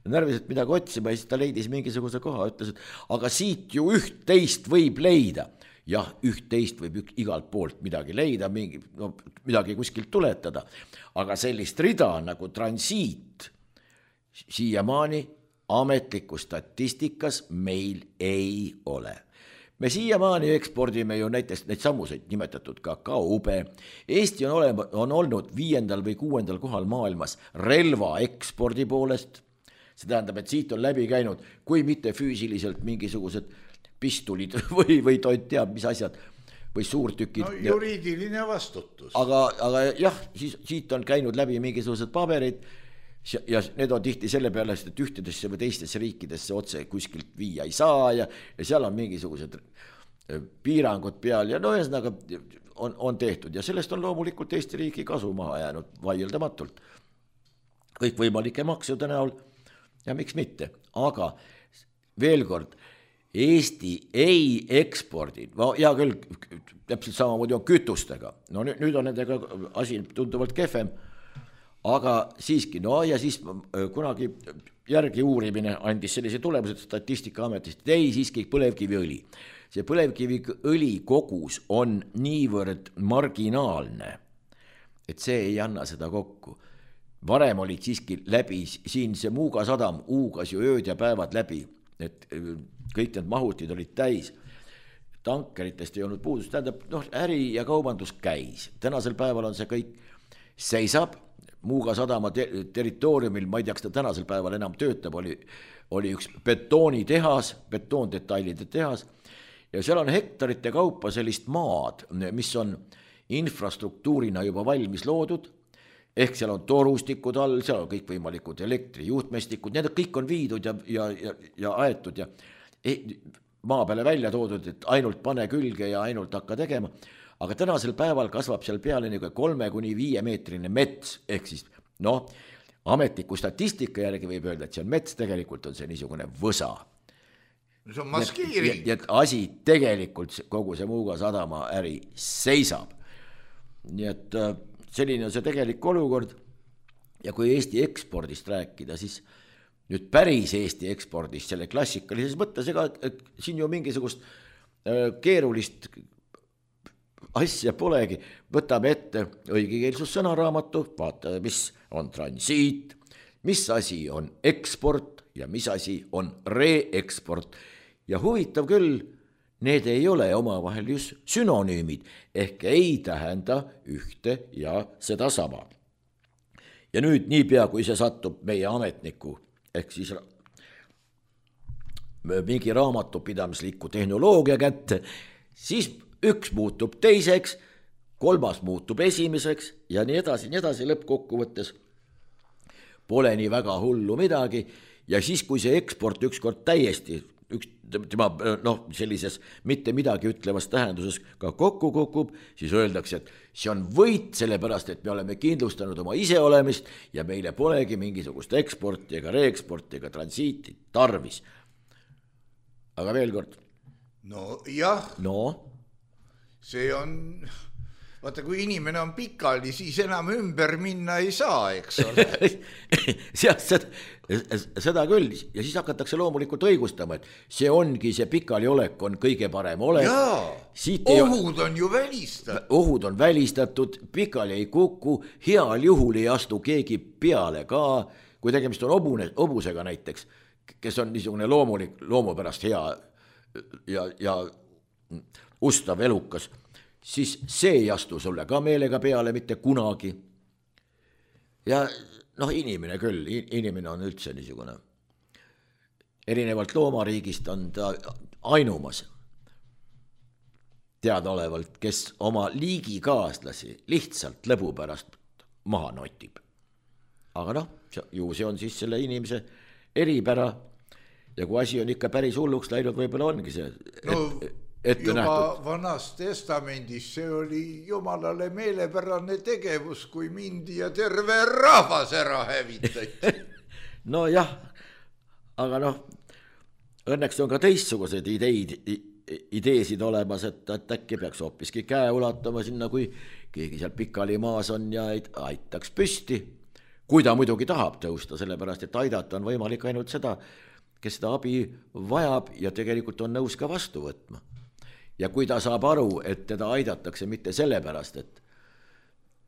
Speaker 4: närviselt midagi otsima ja siis ta leidis mingisuguse koha, ütles, et aga siit ju üht-teist võib leida. Jah, üht-teist võib ük, igalt poolt midagi leida, mingi, no, midagi kuskilt tuletada, aga sellist rida nagu transiit siiamaani ametliku statistikas meil ei ole. Me siiamaani ekspordime ju näiteks neid sammuseid nimetatud kakao-ube. Eesti on, olema, on olnud viiendal või kuuendal kohal maailmas relva ekspordi poolest. See tähendab, et siit on läbi käinud, kui mitte füüsiliselt mingisugused pistulid või, või toit teab, mis asjad, või suurtükid.
Speaker 3: No juriidiline vastutus.
Speaker 4: Aga, aga jah, siis, siit on käinud läbi mingisugused paberid ja need on tihti selle peale, et ühtedesse või teistesse riikidesse otse kuskilt viia ei saa ja, ja seal on mingisugused piirangud peal ja no ühesõnaga on, on tehtud ja sellest on loomulikult Eesti riigi kasu maha jäänud vaieldamatult. kõikvõimalike maksude näol ja miks mitte, aga veel kord, Eesti ei ekspordi, no hea küll, täpselt samamoodi on kütustega, no nüüd, nüüd on nendega asi tunduvalt kehvem, aga siiski, no ja siis kunagi järgi uurimine andis sellise tulemused Statistikaametist, et ei siiski põlevkiviõli. See põlevkiviõli kogus on niivõrd marginaalne, et see ei anna seda kokku. Varem olid siiski läbi, siin see Muuga sadam uugas ju ööd ja päevad läbi, et kõik need mahutid olid täis. Tankeritest ei olnud puudust, tähendab, noh, äri ja kaubandus käis. Tänasel päeval on see kõik seisab, Muuga sadama ter- territooriumil, ma ei tea, kas ta tänasel päeval enam töötab, oli, oli üks betoonitehas, betoondetailide tehas, ja seal on hektarite kaupa sellist maad, mis on infrastruktuurina juba valmis loodud, ehk seal on torustikud all, seal on kõik võimalikud elektrijuhtmestikud, need kõik on viidud ja, ja, ja, ja aetud ja maa peale välja toodud, et ainult pane külge ja ainult hakka tegema. Aga tänasel päeval kasvab seal peale niisugune kolme kuni viie meetrine mets, ehk siis noh, ametliku statistika järgi võib öelda, et see on mets, tegelikult on see niisugune võsa.
Speaker 3: See on maskiiring.
Speaker 4: Ja, ja asi tegelikult kogu see Muuga sadama äri seisab. Nii et selline on see tegelik olukord ja kui Eesti ekspordist rääkida, siis nüüd päris Eesti ekspordist selle klassikalises mõttes, ega et siin ju mingisugust keerulist asja polegi, võtame ette õigekeelsussõnaraamatu, vaatame, mis on transiit, mis asi on eksport ja mis asi on reeksport ja huvitav küll, need ei ole omavahel just synonüümid, ehk ei tähenda ühte ja seda sama. Ja nüüd niipea, kui see satub meie ametniku, ehk siis mingi raamatupidamisliku tehnoloogia kätte, siis üks muutub teiseks, kolmas muutub esimeseks ja nii edasi, nii edasi lõppkokkuvõttes pole nii väga hullu midagi ja siis, kui see eksport ükskord täiesti üks tema noh, sellises mitte midagi ütlevas tähenduses ka kokku kukub, siis öeldakse, et see on võit sellepärast, et me oleme kindlustanud oma iseolemist ja meile polegi mingisugust eksporti ega reeksporti ega transiiti tarvis. Aga veel kord.
Speaker 3: No jah.
Speaker 4: No?
Speaker 3: See on, vaata kui inimene on pikali, siis enam ümber minna ei saa, eks ole.
Speaker 4: seda, seda küll ja siis hakatakse loomulikult õigustama, et see ongi, see pikali olek on kõige parem olek.
Speaker 3: Jaa, ohud on ju välistatud.
Speaker 4: Ohud on välistatud, pikali ei kuku, heal juhul ei astu keegi peale ka, kui tegemist on obune, obusega näiteks, kes on niisugune loomulik, loomupärast hea ja, ja ustav elukas, siis see ei astu sulle ka meelega peale mitte kunagi. Ja noh, inimene küll, inimene on üldse niisugune, erinevalt loomariigist on ta ainumas teadaolevalt, kes oma liigikaaslasi lihtsalt lõbu pärast maha notib. Aga noh, ju see on siis selle inimese eripära ja kui asi on ikka päris hulluks läinud, võib-olla ongi see
Speaker 3: no,
Speaker 4: et,
Speaker 3: juba
Speaker 4: nähtud.
Speaker 3: Vanas testamendis see oli jumalale meelepärane tegevus, kui mindi ja terve rahvas ära hävitati.
Speaker 4: No jah, aga noh, õnneks on ka teistsuguseid ideid, ideesid olemas, et, et äkki peaks hoopiski käe ulatama sinna, kui keegi seal pikali maas on ja aitaks püsti. Kui ta muidugi tahab tõusta, sellepärast, et aidata on võimalik ainult seda, kes seda abi vajab ja tegelikult on nõus ka vastu võtma. Ja kui ta saab aru, et teda aidatakse mitte sellepärast, et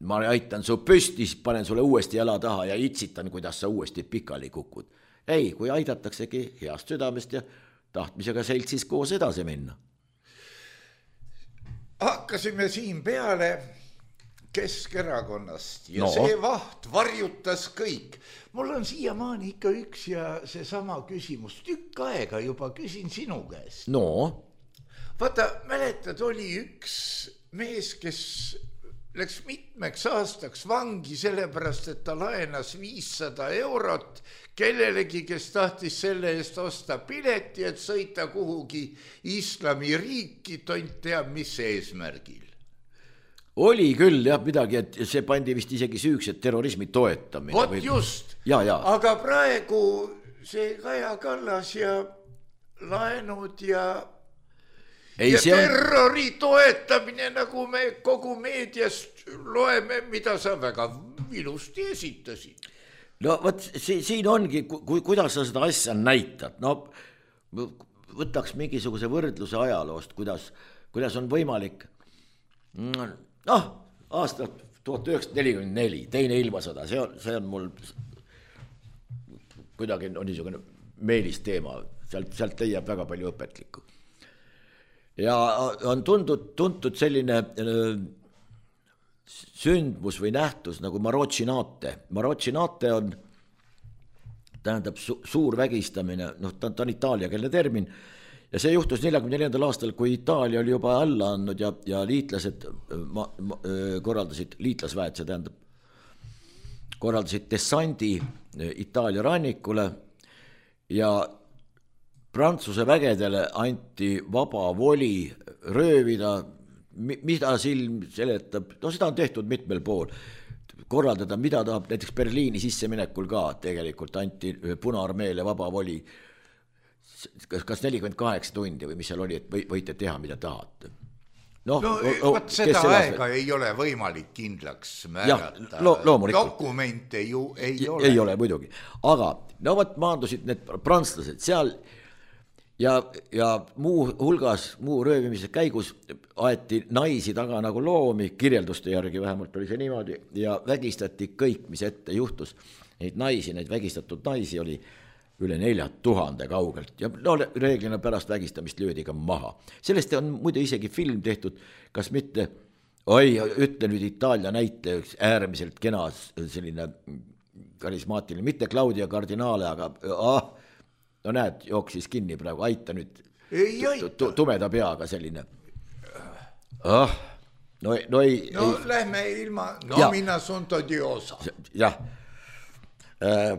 Speaker 4: ma aitan su püsti, siis panen sulle uuesti jala taha ja itsitan, kuidas sa uuesti pikali kukud. Ei, kui aidataksegi heast südamest ja tahtmisega seltsis koos edasi minna.
Speaker 3: Hakkasime siin peale Keskerakonnast ja
Speaker 4: no.
Speaker 3: See vaht varjutas kõik. Mul on siiamaani ikka üks ja see sama küsimus. Tükk aega juba küsin sinu käest.
Speaker 4: No.
Speaker 3: Vaata, mäletad, oli üks mees, kes läks mitmeks aastaks vangi sellepärast, et ta laenas viissada eurot kellelegi, kes tahtis selle eest osta pileti, et sõita kuhugi islamiriiki, tont teab mis eesmärgil.
Speaker 4: oli küll jah midagi, et see pandi vist isegi süüks, et terrorismi toetamine.
Speaker 3: Vot või... just,
Speaker 4: ja, ja.
Speaker 3: Aga praegu see Kaja Kallas ja laenud ja, ei, ja terrori on... toetamine, nagu me kogu meediast loeme, mida sa väga ilusti esitasid.
Speaker 4: No vot, siin ongi, ku, kuidas sa seda asja näitad, no võtaks mingisuguse võrdluse ajaloost, kuidas, kuidas on võimalik, noh, aasta tuhat üheksasada nelikümmend neli, teine ilmasõda, see on, see on mul kuidagi on niisugune meelis teema, sealt, sealt leiab väga palju õpetlikku. Ja on tundud, tuntud selline sündmus või nähtus nagu Marochinate. Marochinate on, tähendab su, suur vägistamine, noh, ta, ta on itaaliakeelne termin, ja see juhtus neljakümne neljandal aastal, kui Itaalia oli juba alla andnud ja, ja liitlased ma, ma, korraldasid, liitlasväed, see tähendab, korraldasid dessandi Itaalia rannikule ja Prantsuse vägedele anti vaba voli röövida, mida silm seletab, no seda on tehtud mitmel pool, korraldada, mida tahab, näiteks Berliini sisseminekul ka tegelikult anti Punaarmeele vaba voli, kas, kas nelikümmend kaheksa tundi või mis seal oli, et või, võite teha, mida tahate.
Speaker 3: No, no o, võt seda aega veel? Ei ole võimalik kindlaks määrata,
Speaker 4: lo,
Speaker 3: dokumente ju ei
Speaker 4: ja,
Speaker 3: ole.
Speaker 4: Ei ole muidugi, aga no võt maandusid need prantslased seal ja, ja muu hulgas, muu röövimise käigus aeti naisi taga nagu loomi, kirjelduste järgi vähemalt oli see niimoodi, ja vägistati kõik, mis ette juhtus. Neid naisi, neid vägistatud naisi oli üle nelja tuhande kaugelt ja no, reeglina pärast vägistamist löödi ka maha. Sellest on muide isegi film tehtud, kas mitte, oi, ütle nüüd Itaalia näite, üks äärmiselt kena selline karismaatiline, mitte Claudia Cardinale, aga ah, no näed, jooksis kinni praegu, aita nüüd
Speaker 3: ei aita.
Speaker 4: Tumeda peaga selline. Ah, no, no ei.
Speaker 3: No
Speaker 4: ei.
Speaker 3: Lähme ilma nomina sunto diosa.
Speaker 4: Jah. Äh,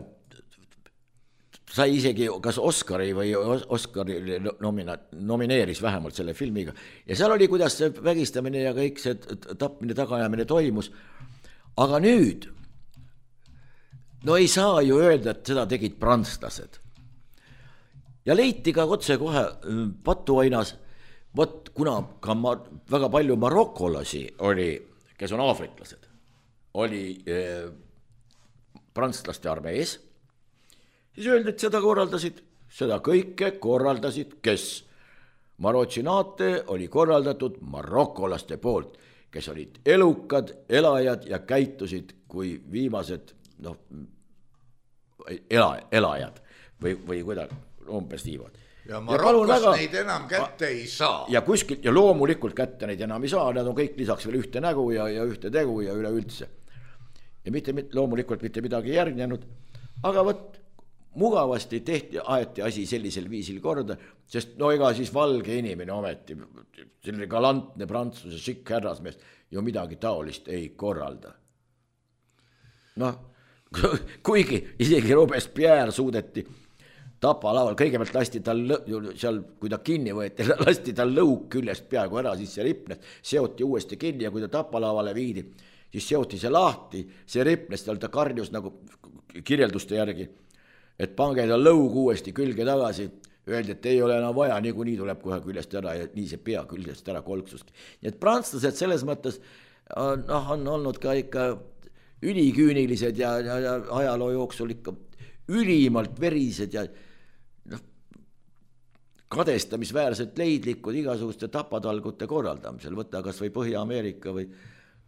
Speaker 4: sai isegi kas Oscari või Oscari nomina, nomineeris vähemalt selle filmiga. Ja seal oli, kuidas see vägistamine ja kõik see tapmine, tagajamine toimus. Aga nüüd, no ei saa ju öelda, et seda tegid prantslased. Ja leiti ka otse kohe patuainas, võt, kuna ka ma, väga palju marokolasi oli, kes on aafriklased, oli eh, prantslaste armees, siis öeldi, et seda korraldasid, seda kõike korraldasid, kes? Marochinate oli korraldatud marokolaste poolt, kes olid elukad, elajad ja käitusid kui viimased noh, ela, elajad või, või kuidagi umbes niimoodi.
Speaker 3: Ja Marokos väga, neid enam kätte ei saa.
Speaker 4: Ja kuskilt, ja loomulikult kätte neid enam ei saa, nad on kõik lisaks veel ühte nägu ja, ja ühte tegu ja üleüldse. Ja mitte, loomulikult mitte midagi järgnenud, aga võt, mugavasti tehti, aeti asi sellisel viisil korda, sest no ega siis valge inimene ometi, selline galantne prantsuse šikk härrasmees ju midagi taolist ei korralda. Noh, kuigi isegi Robespierre suudeti tapalaval, kõigepealt lasti tal seal, kui ta kinni võeti, lasti tal lõuk küljest peaaegu ära, siis see ripnes, seoti uuesti kinni ja kui ta tapalavale viidi, siis seoti see lahti, see ripnes, tal ta karjus nagu kirjelduste järgi, et pange ta lõug uuesti külge tagasi, öeldi, et ei ole enam vaja, niikuinii tuleb kohe küljest ära ja nii see pea küljest ära kolksuski. Nii et prantslased selles mõttes on, noh, on olnud ka ikka üliküünilised ja, ja, ja ajaloo jooksul ikka ülimalt verised ja noh, kadestamisväärselt leidlikud igasuguste tapatalgute korraldamisel, võtta kas või Põhja-Ameerika või,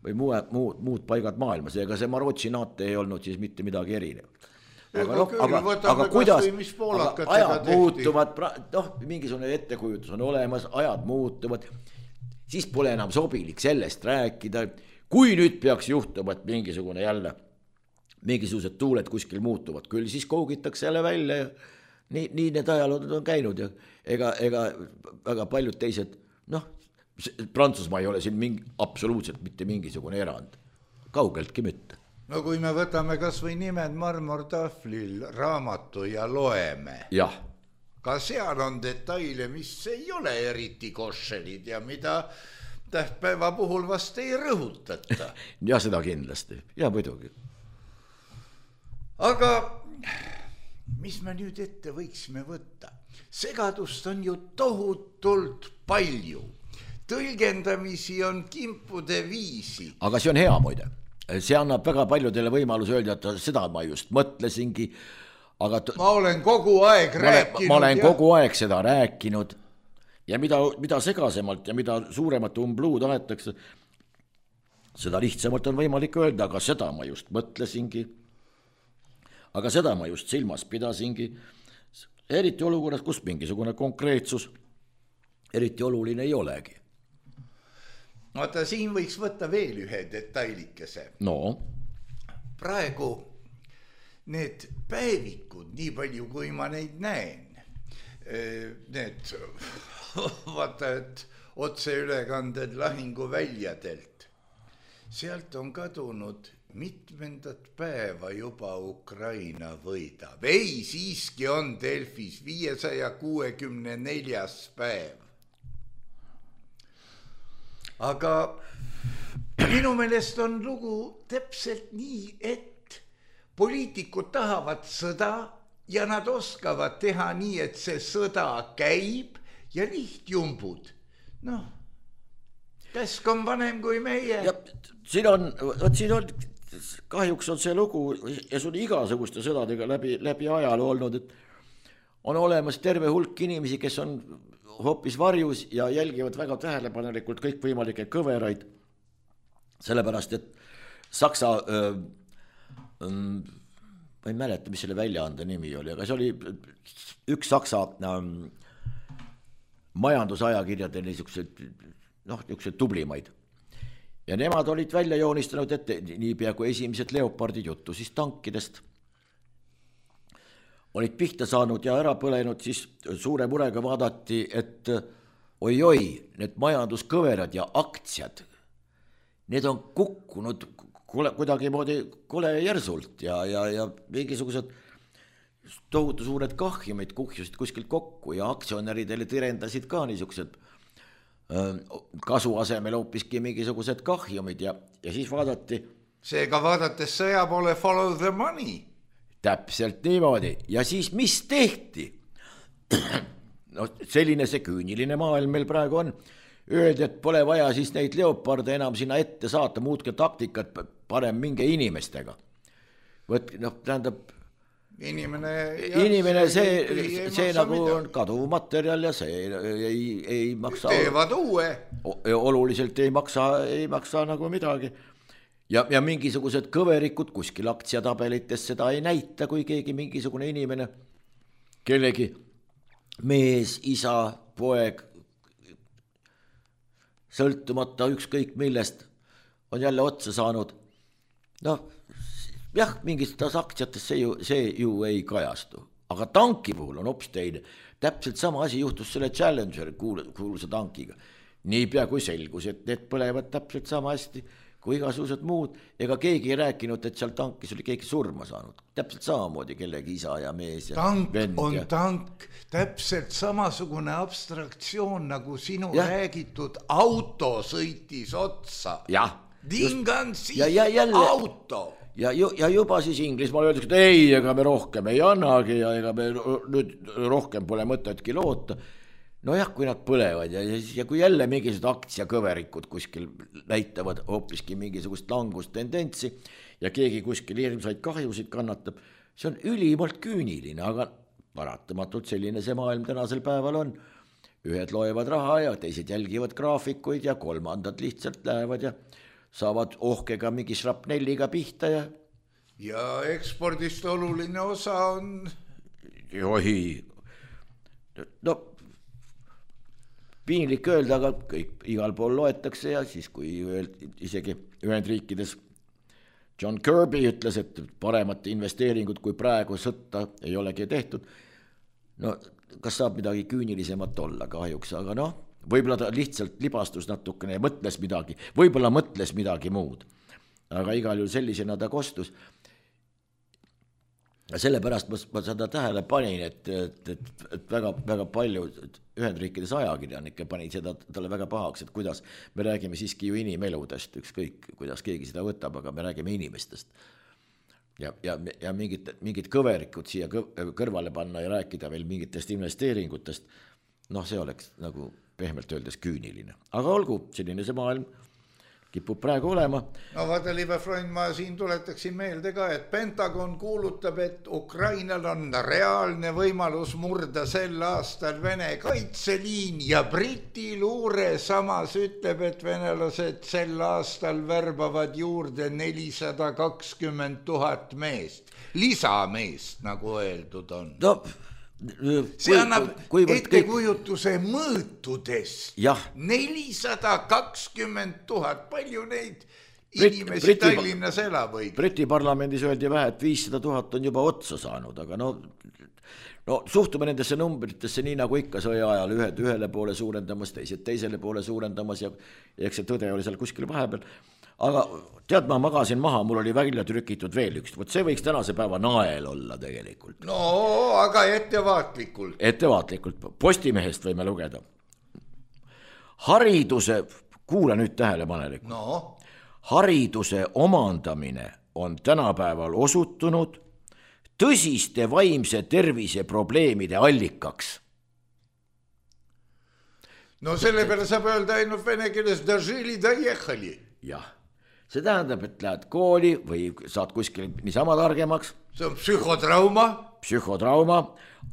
Speaker 4: või muu, muud, muud paigad maailmas, ega see Marochinate ei olnud siis mitte midagi erinevat. Aga, no, aga, aga kuidas, aga ajad muutuvad, noh, mingisugune ettekujutus on olemas, ajad muutuvad, siis pole enam sobilik sellest rääkida, kui nüüd peaks juhtuma, et mingisugune jälle, mingisugused tuuled kuskil muutuvad, küll siis kougitakse jälle välja ja nii, nii need ajalood on käinud ja ega, ega väga paljud teised, noh, Prantsusmaa ei ole siin mingi, absoluutselt mitte mingisugune erand, kaugeltki mitte.
Speaker 3: No kui me võtame kas või nimed marmortahvlil raamatu ja loeme,
Speaker 4: jah.
Speaker 3: Ka seal on detaile, mis ei ole eriti košelid ja mida tähtpäeva puhul vast ei rõhutata.
Speaker 4: Ja seda kindlasti, ja muidugi.
Speaker 3: Aga mis me nüüd ette võiksime võtta? Segadust on ju tohutult palju. Tõlgendamisi on kimpude viisi.
Speaker 4: Aga see on hea muide. See annab väga paljudele võimaluse öelda, et seda ma just mõtlesingi. Aga t-
Speaker 3: ma olen kogu aeg
Speaker 4: ma
Speaker 3: rääkinud.
Speaker 4: Ma olen ja... kogu aeg seda rääkinud. Ja mida, mida segasemalt ja mida suuremat umbluud aetakse, seda lihtsamalt on võimalik öelda, aga seda ma just mõtlesingi. Aga seda ma just silmas pidasingi. Eriti olukorras, kus mingisugune konkreetsus eriti oluline ei olegi.
Speaker 3: Vaata, siin võiks võtta veel ühe detailikese.
Speaker 4: No.
Speaker 3: Praegu need päevikud, nii palju kui ma neid näen, need vaata, et otseülekanded lahinguväljadelt, sealt on kadunud mitmendat päeva juba Ukraina võidab. Ei, siiski on Delfis viiesaja kuuekümne neljas päev. Aga minu meelest on lugu täpselt nii, et poliitikud tahavad sõda ja nad oskavad teha nii, et see sõda käib ja lihtjumbud. Noh, käsk on vanem kui meie.
Speaker 4: Ja siin on, võt siin on, kahjuks on see lugu ja see on igasuguste sõdadega läbi, läbi ajaloo olnud, et on olemas terve hulk inimesi, kes on hoopis varjus ja jälgivad väga tähelepanelikult kõik võimalikke kõveraid, sellepärast, et Saksa, öö, öö, ma ei mäleta, mis selle väljaande nimi oli, aga see oli üks Saksa öö, majandusajakirjade niisugused, noh, niisugused tublimaid. Ja nemad olid välja joonistanud ette niipea kui esimesed leopardid juttu, siis tankidest olid pihta saanud ja ära põlenud, siis suure murega vaadati, et oi-oi, need majanduskõverad ja aktsiad, need on kukkunud kuidagi moodi kole järsult ja, ja, ja mingisugused tohutu suured kahjumid kuhjusid kuskilt kokku ja aktsionäridele tirendasid ka niisugused kasu asemel hoopiski mingisugused kahjumid ja, ja siis vaadati.
Speaker 3: Seega vaadates sõja poole follow the money.
Speaker 4: Täpselt niimoodi. Ja siis mis tehti? No, selline see küüniline maailm meil praegu on. Öeldi, et pole vaja siis neid leoparde enam sinna ette saata, muutke taktikat, parem minge inimestega. Võt, noh, tähendab,
Speaker 3: inimene,
Speaker 4: inimene see, see, see, see nagu midagi. On kaduv materjal ja see ei, ei maksa.
Speaker 3: Teevad uue.
Speaker 4: Oluliselt ei maksa, ei maksa nagu midagi. Ja, ja mingisugused kõverikud kuskil aktsiatabelites seda ei näita, kui keegi mingisugune inimene, kellegi mees, isa, poeg, sõltumata ükskõik millest, on jälle otsa saanud. No, jah, mingistes aktsiates see ju, see ju ei kajastu. Aga tanki puhul on hoopis teine. Täpselt sama asi juhtus selle Challenger kuulsa tankiga. Niipea kui selgus, et need põlevad täpselt sama hästi kui igasugused muud, ega keegi ei rääkinud, et seal tankis oli keegi surma saanud. Täpselt samamoodi kellegi isa ja mees ja
Speaker 3: tank
Speaker 4: vend.
Speaker 3: On
Speaker 4: ja...
Speaker 3: tank, täpselt samasugune abstraktsioon, nagu sinu ja. Räägitud auto sõitis otsa.
Speaker 4: Jah.
Speaker 3: Dingan siis
Speaker 4: ja, ja jälle...
Speaker 3: auto.
Speaker 4: Ja, ju, ja juba siis Inglismaal öeldakse, et ei, ega me rohkem ei annagi ja ega me nüüd rohkem pole mõtetki loota. No jah, kui nad põlevad ja, ja kui jälle mingisugused aktsiakõverikud kuskil näitavad hoopiski mingisugust langustendentsi ja keegi kuskil hirmsaid kahjusid kannatab, see on ülimalt küüniline, aga paratamatult selline see maailm tänasel päeval on. Ühed loevad raha ja teised jälgivad graafikuid ja kolmandad lihtsalt lähevad ja saavad ohkega mingi šrapnelliga pihta ja...
Speaker 3: Ja ekspordist oluline osa on...
Speaker 4: Johi, no... Piinlik öelda, aga kõik igal pool loetakse ja siis kui isegi Ühendriikides John Kirby ütles, et paremat investeeringut kui praegu sõtta ei olegi tehtud, no kas saab midagi küünilisemat olla kahjuks, aga noh, võib-olla ta lihtsalt libastus natukene ja mõtles midagi, võib-olla mõtles midagi muud, aga igal juhul sellisena ta kostus. sellepärast ma, ma seda tähele panin, et, et, et, et väga, väga palju Ühendriikides ajakirjanikke pani seda talle väga pahaks, et kuidas me räägime siiski ju inimeludest, ükskõik kuidas keegi seda võtab, aga me räägime inimestest. Ja, ja, ja mingid, mingid kõverikud siia kõrvale panna ja rääkida veel mingitest investeeringutest, noh, see oleks nagu pehmelt öeldes küüniline. Aga olgu, selline see maailm kipub praegu olema.
Speaker 3: No vaata, libe Freund, ma siin tuletaksin meelde ka, et Pentagon kuulutab, et Ukrainal on reaalne võimalus murda sel aastal Vene kaitseliin ja Briti luure samas ütleb, et venelased sel aastal värbavad juurde nelisada kakskümmend tuhat meest. Lisameest, nagu öeldud on.
Speaker 4: No,
Speaker 3: see annab ettekujutuse mõõtudest. nelisada kakskümmend tuhat, palju neid inimesi Briti, Tallinnas elab või?
Speaker 4: Briti parlamendis öeldi vähe, et viissada tuhat on juba otsa saanud, aga no, no suhtume nendesse numbritesse nii nagu ikka sõja ajal, ühed ühele poole suurendamas, teised teisele poole suurendamas ja, ja eks see tõde oli seal kuskil vahepeal. Aga tead, ma magasin maha, mul oli välja trükitud veel üks, võt see võiks tänase päeva nael olla tegelikult.
Speaker 3: No, aga ettevaatlikult.
Speaker 4: Ettevaatlikult, Postimehest võime lugeda. Hariduse, kuula nüüd tähelepanelik.
Speaker 3: No.
Speaker 4: Hariduse omandamine on tänapäeval osutunud tõsiste vaimse tervise probleemide allikaks.
Speaker 3: No selle peale saab öelda ainult vene keeles dožili, doехали.
Speaker 4: Jah. See tähendab, et lähed kooli või saad kuskil niisama targemaks.
Speaker 3: See on psühhotrauma.
Speaker 4: Psühhotrauma.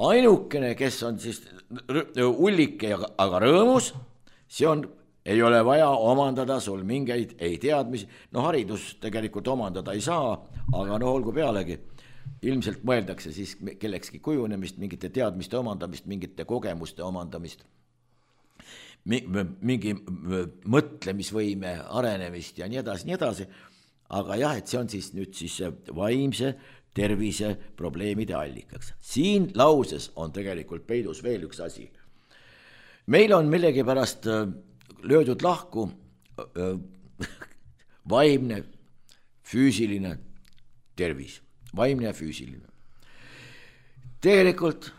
Speaker 4: Ainukene, kes on siis ullike, aga rõõmus, see on, ei ole vaja omandada sul mingeid ei teadmisi. No haridus tegelikult omandada ei saa, aga no olgu pealegi. Ilmselt mõeldakse siis kellekski kujunemist, mingite teadmiste omandamist, mingite kogemuste omandamist. Mingi mõtlemisvõime arenemist ja nii edasi, nii edasi. Aga jah, et see on siis nüüd siis vaimse tervise probleemide allikaks. Siin lauses on tegelikult peidus veel üks asi. Meil on millegi pärast löödud lahku vaimne, füüsiline tervis. Vaimne ja füüsiline. Tegelikult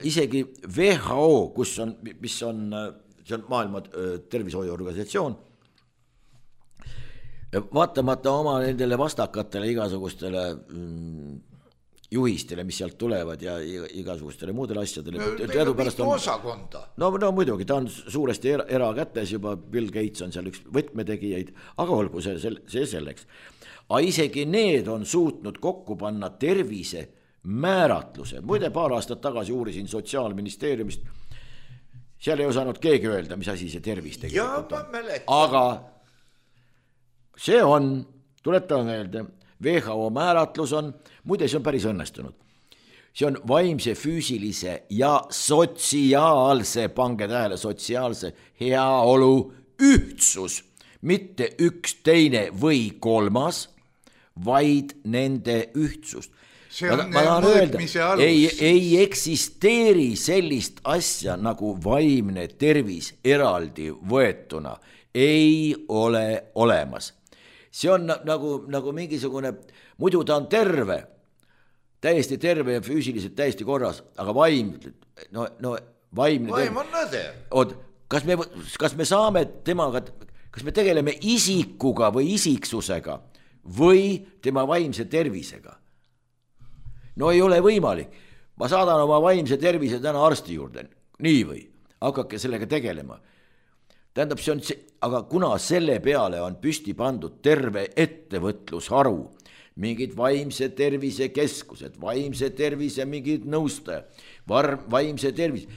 Speaker 4: isegi W H O, kus on, mis on, see on maailma tervishoiuorganisatsioon, vaatamata oma nendele vastakatele igasugustele juhistele, mis sealt tulevad ja igasugustele muudele asjadele.
Speaker 3: Meil on mitu osakonda.
Speaker 4: No, no muidugi, ta on suuresti era, erakätes juba, Bill Gates on seal üks võtmetegijaid, aga olgu see, see selleks. Aga isegi need on suutnud kokku panna tervise määratluse. Muide, paar aastat tagasi uurisin Sotsiaalministeeriumist. Seal ei osanud keegi öelda, mis asi see tervis tegelikult on. Aga see on, tuletame meelde, W H O määratlus on, muide see on päris õnnestunud. See on vaimse, füüsilise ja sotsiaalse, pange tähele, sotsiaalse heaolu ühtsus. Mitte üks teine või kolmas, vaid nende ühtsust. Ma, ma tahan öelda, ei, ei eksisteeri sellist asja nagu vaimne tervis eraldi võetuna. Ei ole olemas. See on nagu, nagu mingisugune, muidu ta on terve, täiesti terve ja füüsiliselt täiesti korras, aga vaim, no, no vaimne
Speaker 3: vaim on nõde.
Speaker 4: Oot, kas me, kas me saame temaga, kas me tegeleme isikuga või isiksusega või tema vaimse tervisega? No ei ole võimalik. Ma saadan oma vaimse tervise täna arsti juurde. Nii või? Hakake sellega tegelema. Tähendab, see on see, aga kuna selle peale on püsti pandud terve ettevõtlusharu, mingid vaimse tervise keskused, vaimse tervise mingid nõustajad, vaimse tervise,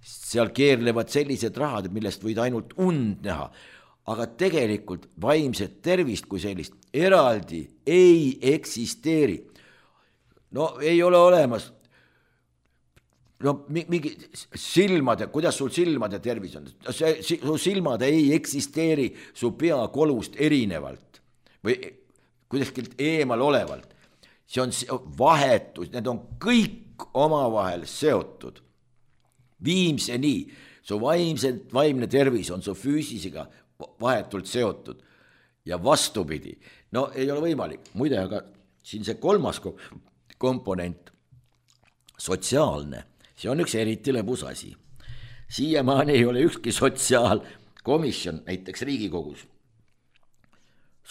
Speaker 4: seal keerlevad sellised rahad, millest võid ainult und näha. Aga tegelikult vaimset tervist kui sellist eraldi ei eksisteeri. No ei ole olemas, no mingi silmade, kuidas sul silmade tervis on, su silmad ei eksisteeri su peakolust erinevalt või kuidaskilt eemal olevalt. See on vahetus, need on kõik omavahel seotud. Viimseni, su vaimse, vaimne tervis on su füüsisega vahetult seotud ja vastupidi. No ei ole võimalik, muide, aga siin see kolmas komponent, sotsiaalne, see on üks eriti lõbus asi. Siiamaani ei ole ükski sotsiaalkomisjon, näiteks Riigikogus,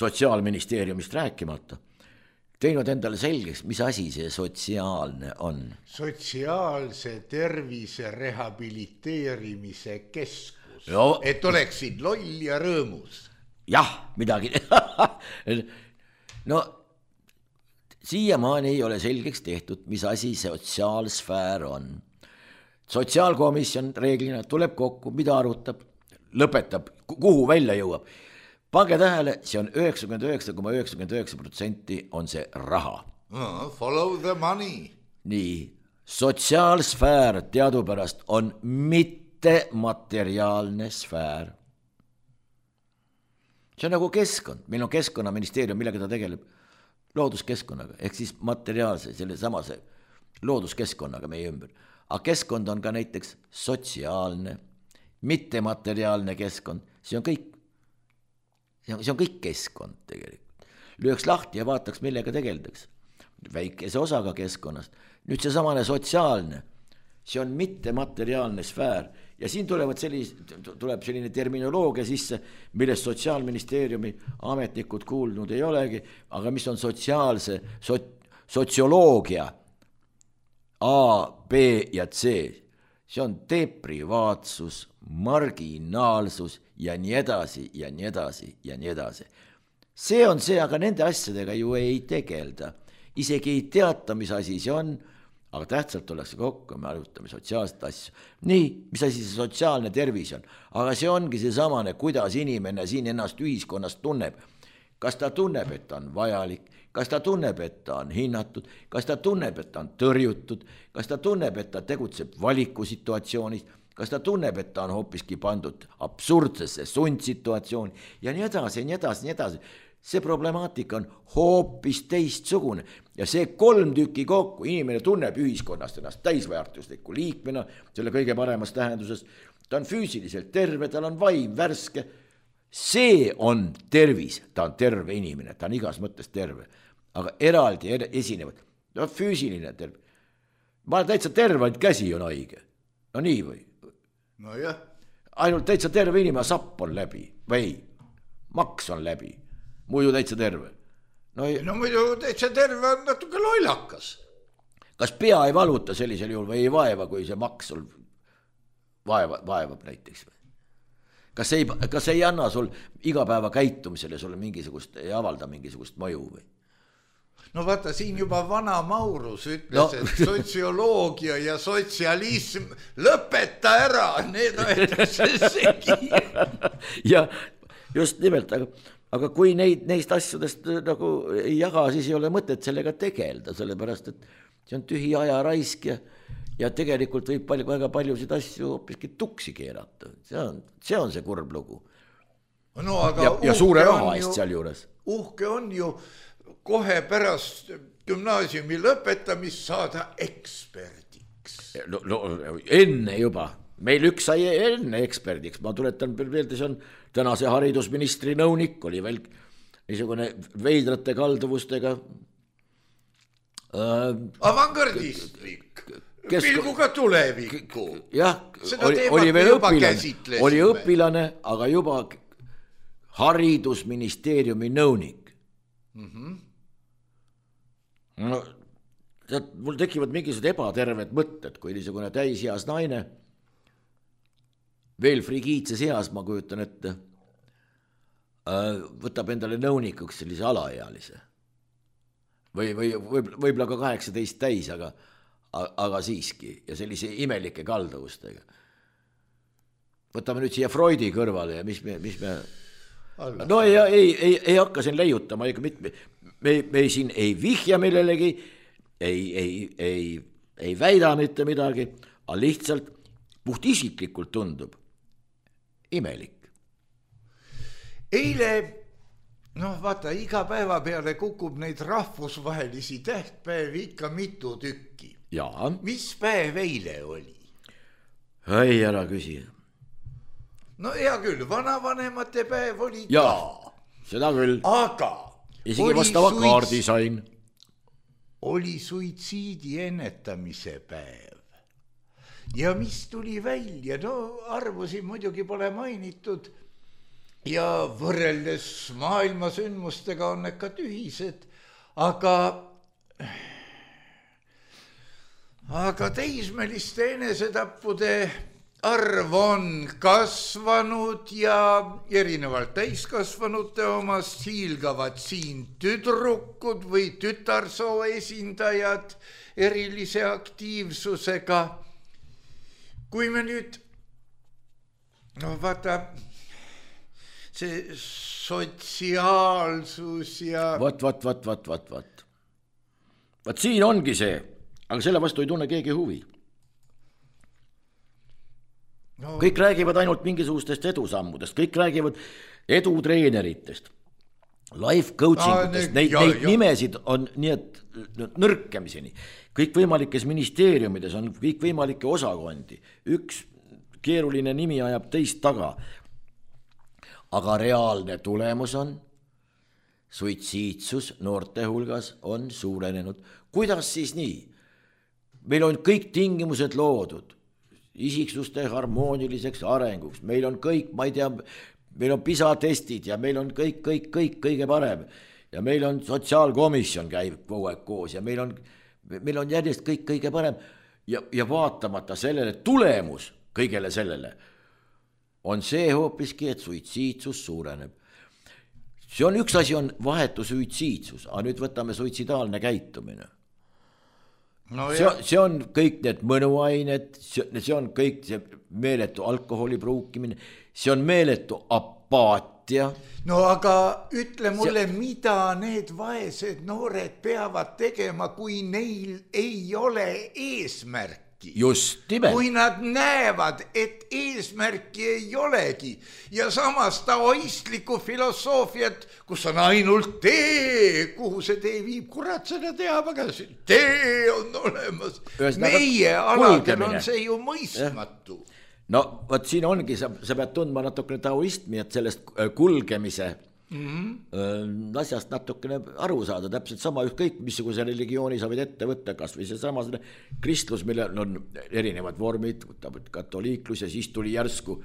Speaker 4: sotsiaalministeeriumist rääkimata, teinud endale selgeks, mis asi see sotsiaalne on.
Speaker 3: Sotsiaalse tervise rehabiliteerimise keskus,
Speaker 4: Jo.
Speaker 3: et oleksid loll ja rõõmus.
Speaker 4: Jah, midagi. No siiamaani ei ole selgeks tehtud, mis asi sotsiaalsfäär on. Sotsiaalkomisjon reeglina tuleb kokku, mida arutab, lõpetab, kuhu välja jõuab. Pange tähele, see on üheksakümmend üheksa koma üheksakümmend üheksa protsenti on see raha.
Speaker 3: No, follow the money.
Speaker 4: Nii, sotsiaalsfäär teadupärast on mittemateriaalne sfäär. See on nagu keskkond, meil on keskkonnaministeerium, millega ta tegeleb looduskeskkonnaga, ehk siis materiaalse, selle samase looduskeskkonnaga meie ümber. Aga keskkond on ka näiteks sotsiaalne, mittemateriaalne keskkond, see on kõik. See on, see on kõik keskkond tegelikult. Lüüks lahti ja vaataks, millega tegeldaks. Väikese osaga keskkonnast. Nüüd see samane sotsiaalne, see on mittemateriaalne sfäär ja siin tulevad sellis, tuleb selline terminoloogia sisse, millest Sotsiaalministeeriumi ametnikud kuulnud ei olegi, aga mis on sotsiaalse, sot, sotsioloogia A, B ja C. See on deprivaatsus, marginaalsus ja nii edasi ja nii edasi ja nii edasi. See on see, aga nende asjadega ju ei tegelda. Isegi ei teata, mis asi see on, aga tähtsalt ollakse kokku, me arutame sotsiaalset asju. Nii, mis asi see sotsiaalne tervis on, aga see ongi see samane, kuidas inimene siin ennast ühiskonnast tunneb. Kas ta tunneb, et ta on vajalik, kas ta tunneb, et ta on hinnatud, kas ta tunneb, et ta on tõrjutud, kas ta tunneb, et ta tegutseb valikusituatsioonis, kas ta tunneb, et ta on hoopiski pandud absurdsesse sundsituatsiooni ja nii edasi, nii edasi, nii edasi. See problemaatika on hoopis teistsugune ja see kolm tükki kokku, inimene tunneb ühiskonnast ennast täisväärtusliku liikmena, selle kõige paremas tähenduses, ta on füüsiliselt terve, tal on vaim värske, see on tervis, ta on terve inimene, ta on igas mõttes terve, aga eraldi esinevad, ta on füüsiline terve. Ma olen täitsa terve, ainult käsi on haige, no nii või?
Speaker 3: No jah.
Speaker 4: Ainult täitsa terve inimene, sapp on läbi või maks on läbi. Muidu täitsa terve.
Speaker 3: No, ei... no muidu täitsa terve on natuke lollakas.
Speaker 4: Kas pea ei valuta sellisel juhul või ei vaeva, kui see maks sul vaeva, vaevab näiteks? Kas ei, kas ei anna sul igapäeva käitumisele sulle mingisugust, ei avalda mingisugust mõju või?
Speaker 3: No vaata, siin juba vana Maurus ütles, no. Et sotsioloogia ja sotsialism lõpeta ära, need aetakse segi.
Speaker 4: Ja just nimelt, aga Aga kui neid, neist asjadest nagu ei jaga, siis ei ole mõtet sellega tegelda, sellepärast, et see on tühi aja raisk ja, ja tegelikult võib palju, väga paljusid asju hoopiski tuksi keerata. See on see, on see kurb lugu.
Speaker 3: No, aga
Speaker 4: ja, ja suure raha eest seal juures.
Speaker 3: Uhke on ju kohe pärast gümnaasiumi lõpetamist saada eksperdiks.
Speaker 4: No, no, enne juba. Meil üks sai enne eksperdiks, ma tuletan meelde, see on tänase haridusministri nõunik, oli veel niisugune veidrate kalduvustega
Speaker 3: äh, avangardistlik, kesk... pilguga tulevikku.
Speaker 4: Jah, oli, oli veel õpilane, oli õpilane, aga juba haridusministeeriumi nõunik. Mm-hmm. No, tead, mul tekivad mingisugused ebaterved mõtted, kui niisugune täisheas naine veel frigiitses heas, ma kujutan ette, võtab endale nõunikuks sellise alaealise. Või, või võib-olla ka kaheksateist täis, aga, aga siiski, ja sellise imelike kaldavustega. Võtame nüüd siia Freudi kõrvale ja mis me, mis me... No ei, ei, ei, ei hakka siin leiutama, ega mitte, me, me siin ei vihja millelegi, ei, ei, ei, ei väida mitte midagi, aga lihtsalt puht isiklikult tundub imelik. Eile, noh vaata, iga päeva peale kukub neid rahvusvahelisi tähtpäevi ikka mitu tükki. Jaa. Mis päev eile oli? Ei, ära küsi. No hea küll, vanavanemate päev oli ka. Jaa, seda küll. Aga. Isegi vastava suits... kaardi sain.
Speaker 3: oli suitsiidi ennetamise päev. Ja mis tuli välja, no arvusi muidugi pole mainitud ja võrreldes maailma sündmustega on need ka tühised, aga, aga teismeliste enesetappude arv on kasvanud ja erinevalt täiskasvanute omast hiilgavad siin tüdrukud või tütarsoo esindajad erilise aktiivsusega. Kui me nüüd, no vaata, see sotsiaalsus ja...
Speaker 4: Vat, vat, vat, vat, vat, vat. Vat siin ongi see, aga selle vastu ei tunne keegi huvi. No. Kõik räägivad ainult mingisugustest edusammudest, kõik räägivad edutreeneritest, life coachingutest, neid, ja, neid ja. nimesid on nii, et nõrkemiseni. Kõik võimalikes ministeeriumides on kõik võimalikke osakondi. Üks keeruline nimi ajab teist taga. Aga reaalne tulemus on, suitsiidsus noorte hulgas on suurenenud. Kuidas siis nii? Meil on kõik tingimused loodud isiksuste harmooniliseks arenguks. Meil on kõik, ma ei tea, meil on PISA testid ja meil on kõik, kõik, kõik kõige parem. Ja meil on sotsiaalkomisjon käib kogu aeg koos ja meil on, meil on järjest kõik kõige parem. Ja, ja vaatamata sellele tulemus kõigele sellele on see hoopiski, et suitsiidsus suureneb. See on üks asi on vahetu suitsiidsus, aga nüüd võtame suitsidaalne käitumine. No see, see on kõik need mõnuained, see on kõik see meeletu alkoholi pruukimine, see on meeletu apaatia.
Speaker 3: No aga ütle mulle, see... mida need vaesed noored peavad tegema, kui neil ei ole eesmärki?
Speaker 4: Just nimelt.
Speaker 3: Kui nad näevad, et eesmärki ei olegi ja samas taoistlikku filosoofiat, kus on ainult tee, kuhu see tee viib, kurat seda teab, aga see tee on olemas. Meie aladel on see ju mõistmatu.
Speaker 4: No võt siin ongi, sa, sa pead tundma natukene taoistmi, et sellest kulgemise mm-hmm. asjast natukene aru saada, täpselt sama ükskõik, missuguse religiooni sa võid ette võtta, kas või see sama kristlus, millel on erinevad vormid, katoliiklus ja siis tuli järsku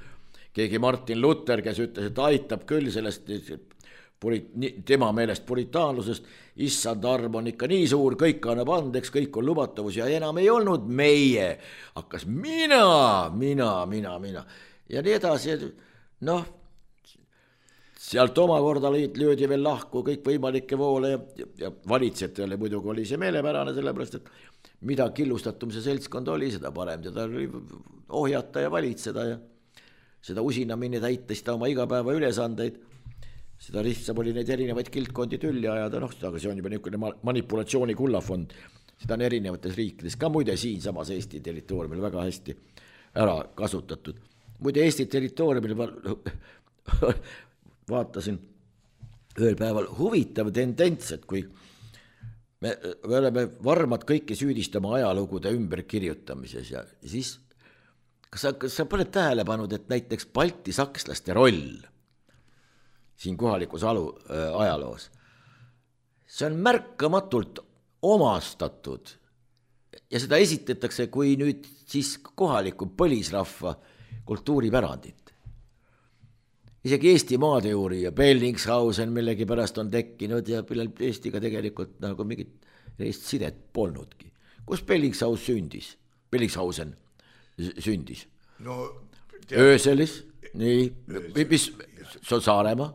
Speaker 4: keegi Martin Luther, kes ütles, et aitab küll sellest tema meelest puritaanlusest, issand arm on ikka nii suur, kõik annab andeks, kõik on lubatavus ja enam ei olnud meie, hakkas mina, mina, mina, mina ja nii edasi, noh, sealt omakorda löödi veel lahku kõik võimalikke voole ja, ja valitsejatele muidugi oli see meelepärane, sellepärast, et mida killustatum see seltskond oli, seda parem teda ohjata ja valitseda ja seda usinamine täita seda oma igapäeva ülesandeid, seda lihtsam oli neid erinevaid kildkondi tülli ajada, noh, aga see on juba niisugune manipulatsiooni kullafond, seda on erinevates riikides, ka muide siin samas Eesti territooriumil väga hästi ära kasutatud. Muide Eesti territooriumil vaatasin ühel päeval huvitav tendents, et kui me, me oleme varmad kõiki süüdistama ajalugude ümberkirjutamises ja siis kas sa, kas sa paned tähele pannud, et näiteks balti sakslaste roll siin kohalikus alu, äh, ajaloos, see on märkamatult omastatud ja seda esitatakse kui nüüd siis kohaliku põlisrahva kultuuripärandit. Isegi Eesti maateooria Bellingshausen millegi pärast on tekkinud ja Eestiga tegelikult nagu mingit sidet polnudki. Kus Bellingshaus sündis? Bellingshausen sündis? No, Ööselis, nii, mis, see on Saaremaa,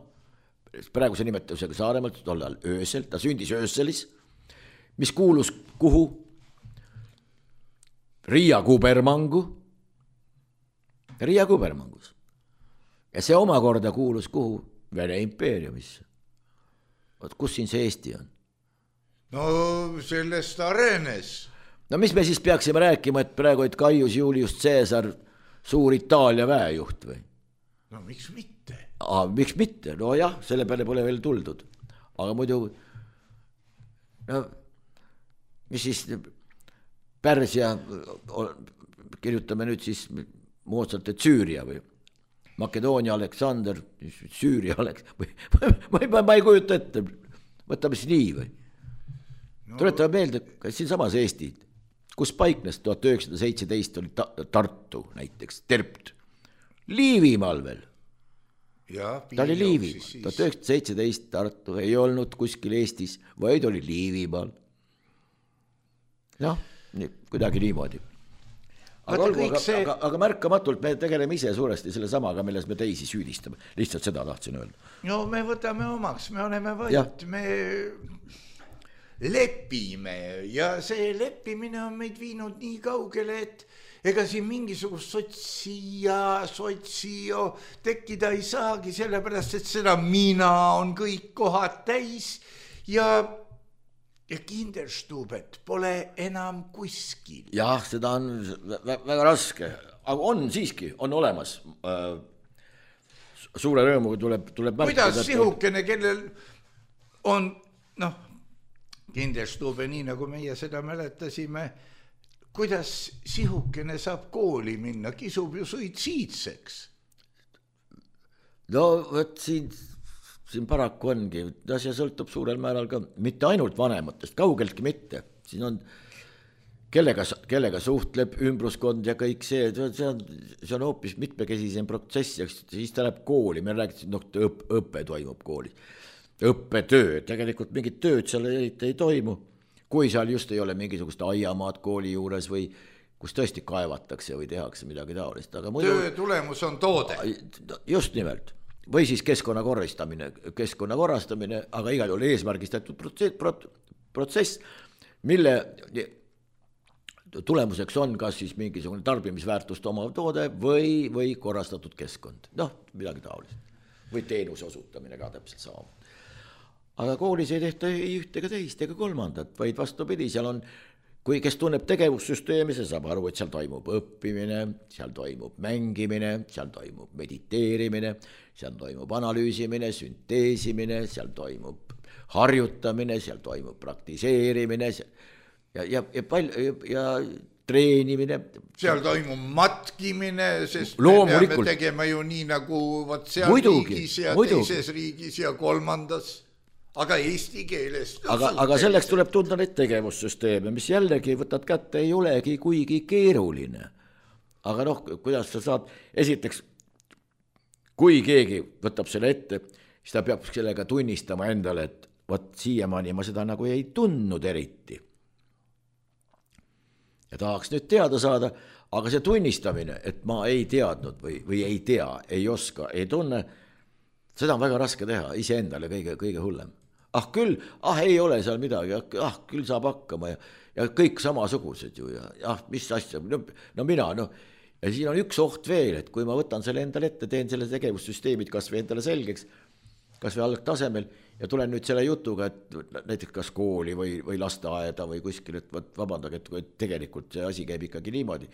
Speaker 4: praegu see nimetusega Saaremaalt, tollal Öösel, ta sündis Ööselis, mis kuulus kuhu? Riia Kubermangu, Riia Kubermangus. Ja see omakorda kuulus kuhu? Vene impeeriumisse. Oot, kus siin see Eesti on?
Speaker 3: No sellest arenes.
Speaker 4: No mis me siis peaksime rääkima, et praegu et Gaius Julius Caesar suur Itaalia väejuht või?
Speaker 3: No miks mitte?
Speaker 4: Aa, miks mitte? No jah, selle peale pole veel tuldud. Aga muidu, no mis siis Pärsia, kirjutame nüüd siis moodsalt, et Süüria või Makedoonia Aleksander, Süüria Aleks, või, ma, ma, ma ei kujuta ette, võtame siis nii või? no. Tuletame meelde, kas siin samas Eesti, kus paiknes tuhat üheksasada seitseteist oli ta Tartu näiteks, Terpt, Liivimaal veel. Ja, ta oli Liivimaal, tuhat üheksasada seitseteist Tartu ei olnud kuskil Eestis, vaid oli Liivimaal. Noh, nii, kuidagi niimoodi. Aga, olgu, aga, see... aga, aga märkamatult me tegeleme ise suuresti selle samaga, milles me teisi süüdistame. Lihtsalt seda tahtsin öelda.
Speaker 3: No me võtame omaks, me oleme vait, me lepime ja see leppimine on meid viinud nii kaugele, et ega siin mingisugust sotsija, sotsio tekkida ei saagi, sellepärast, et seda mina on kõik kohad täis ja ja Kinderstubet pole enam kuskil.
Speaker 4: Jah, seda on väga raske, aga on siiski, on olemas. Suure rõõmuga tuleb, tuleb märkida.
Speaker 3: Kuidas sihukene, kellel on, noh, Kinderstube, nii nagu meie seda mäletasime, kuidas sihukene saab kooli minna, kisub ju suitsiidseks?
Speaker 4: No, võt siin... siin paraku ongi, see sõltub suurel määral ka, mitte ainult vanematest, kaugeltki mitte. Siin on, kellega, kellega suhtleb ümbruskond ja kõik see, see on, see on hoopis mitmekesisem protsess, ja siis ta läheb kooli, me räägime, noh, õp, õppe toimub kooli. Õppetöö, tegelikult mingit tööd seal ei toimu, kui seal just ei ole mingisugust aiamaad kooli juures või kus tõesti kaevatakse või tehakse midagi taolist. Aga muidu,
Speaker 3: töö tulemus on toode.
Speaker 4: Just nimelt. Või siis keskkonna korrastamine, keskkonna korrastamine, aga igal juhul eesmärgistatud protsess, mille tulemuseks on kas siis mingisugune tarbimisväärtust omav toode või, või korrastatud keskkond. Noh, midagi taolist. Või teenuse osutamine ka täpselt sama. Aga koolis ei tehta ei ühte ega teist ega kolmandat, vaid vastupidi, seal on, kui kes tunneb tegevussüsteemi, see saab aru, et seal toimub õppimine, seal toimub mängimine, seal toimub mediteerimine, seal toimub analüüsimine, sünteesimine, seal toimub harjutamine, seal toimub praktiseerimine ja, ja, ja, palju, ja treenimine.
Speaker 3: Seal toimub matkimine, sest me peame tegema ju nii nagu võt seal muidugi, riigis ja muidugi. Teises riigis ja kolmandas. Aga eesti keeles.
Speaker 4: Aga, aga selleks tuleb tunda neid tegevussüsteeme, mis jällegi võtad kätte ei olegi kuigi keeruline. Aga noh, kuidas sa saad, esiteks, kui keegi võtab selle ette, siis ta peab sellega tunnistama endale, et võt siiamaani ma seda nagu ei tundnud eriti. Ja tahaks nüüd teada saada, aga see tunnistamine, et ma ei teadnud või, või ei tea, ei oska, ei tunne, seda on väga raske teha iseendale kõige, kõige hullem. Ah küll, ah ei ole seal midagi, ah küll saab hakkama ja, ja kõik samasugused ju ja ah, mis asja, no, no mina, no ja siin on üks oht veel, et kui ma võtan selle endale ette, teen selle tegevussüsteemid kas või endale selgeks, kas või algtasemel ja tulen nüüd selle jutuga, et näiteks kas kooli või, või lasteaeda või kuskil, et võt, vabandage, et tegelikult see asi käib ikkagi niimoodi.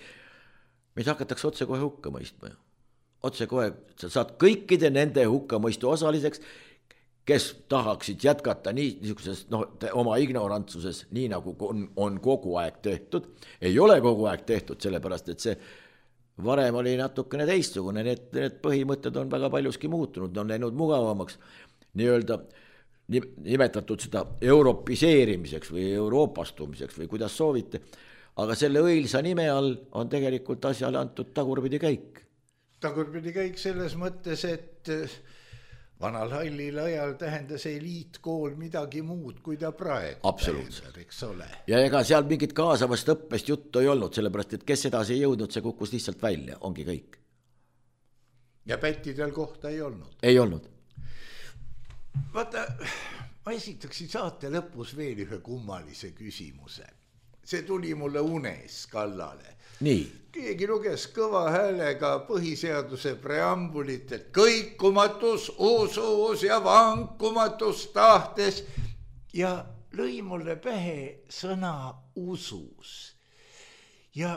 Speaker 4: Meid hakatakse otse kohe hukka mõistma. Otse kohe, sa saad kõikide nende hukka mõistu osaliseks, kes tahaksid jätkata nii, niisuguses, no, oma ignorantsuses, nii nagu on, on kogu aeg tehtud. Ei ole kogu aeg tehtud, sellepärast, et see varem oli natukene teistsugune, need, need põhimõtted on väga paljuski muutunud, on läinud mugavamaks, nii-öelda nimetatud seda europiseerimiseks või euroopastumiseks või kuidas soovite, aga selle õilsa nime all on tegelikult asjale antud tagurpidi käik.
Speaker 3: Tagurpidi käik selles mõttes, et vanal hallil ajal tähendas eliitkool midagi muud, kui ta praegu
Speaker 4: absoluutselt.
Speaker 3: Tähendab, eks ole.
Speaker 4: Ja ega seal mingit kaasavast õppest juttu ei olnud, sellepärast, et kes edasi ei jõudnud, see kukkus lihtsalt välja, ongi kõik.
Speaker 3: Ja pättidel kohta ei olnud?
Speaker 4: Ei olnud.
Speaker 3: Vaata, ma esitaksin saate lõpus veel ühe kummalise küsimuse. See tuli mulle unes kallale.
Speaker 4: Nii.
Speaker 3: Keegi luges kõva häälega põhiseaduse preambulit, et kõikumatus usus ja vankumatus tahtes ja lõi mulle pähe sõna usus. Ja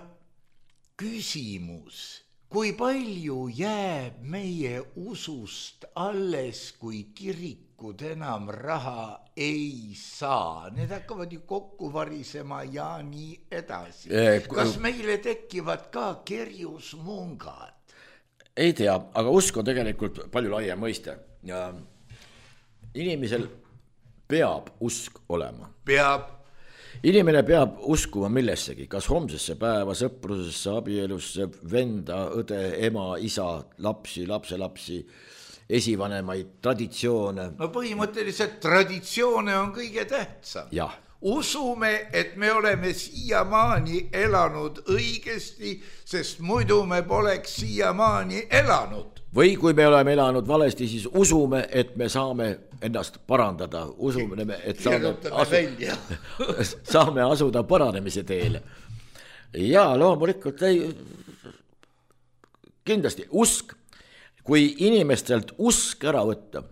Speaker 3: küsimus, kui palju jääb meie usust alles, kui kirikud enam raha ei saa? Need hakkavad ju kokku varisema ja nii edasi. Kas meile tekivad ka kerjusmungad?
Speaker 4: Ei tea, aga usk on tegelikult palju laiem mõiste. Ja inimesel peab usk olema.
Speaker 3: Peab.
Speaker 4: inimene peab uskuma millessegi, kas homsesse päeva, sõprusesse, abielusse, venda, õde, ema, isa, lapsi, lapselapsi, esivanemaid, traditsioone.
Speaker 3: No põhimõtteliselt traditsioone on kõige tähtsam.
Speaker 4: Jah.
Speaker 3: Usume, et me oleme siiamaani elanud õigesti, sest muidu me poleks siiamaani elanud.
Speaker 4: Või kui me oleme elanud valesti, siis usume, et me saame ennast parandada. Usume, et saame, asu... saame asuda paranemise teele. Ja loomulikult ei... kindlasti usk, kui inimestelt usk ära võtta,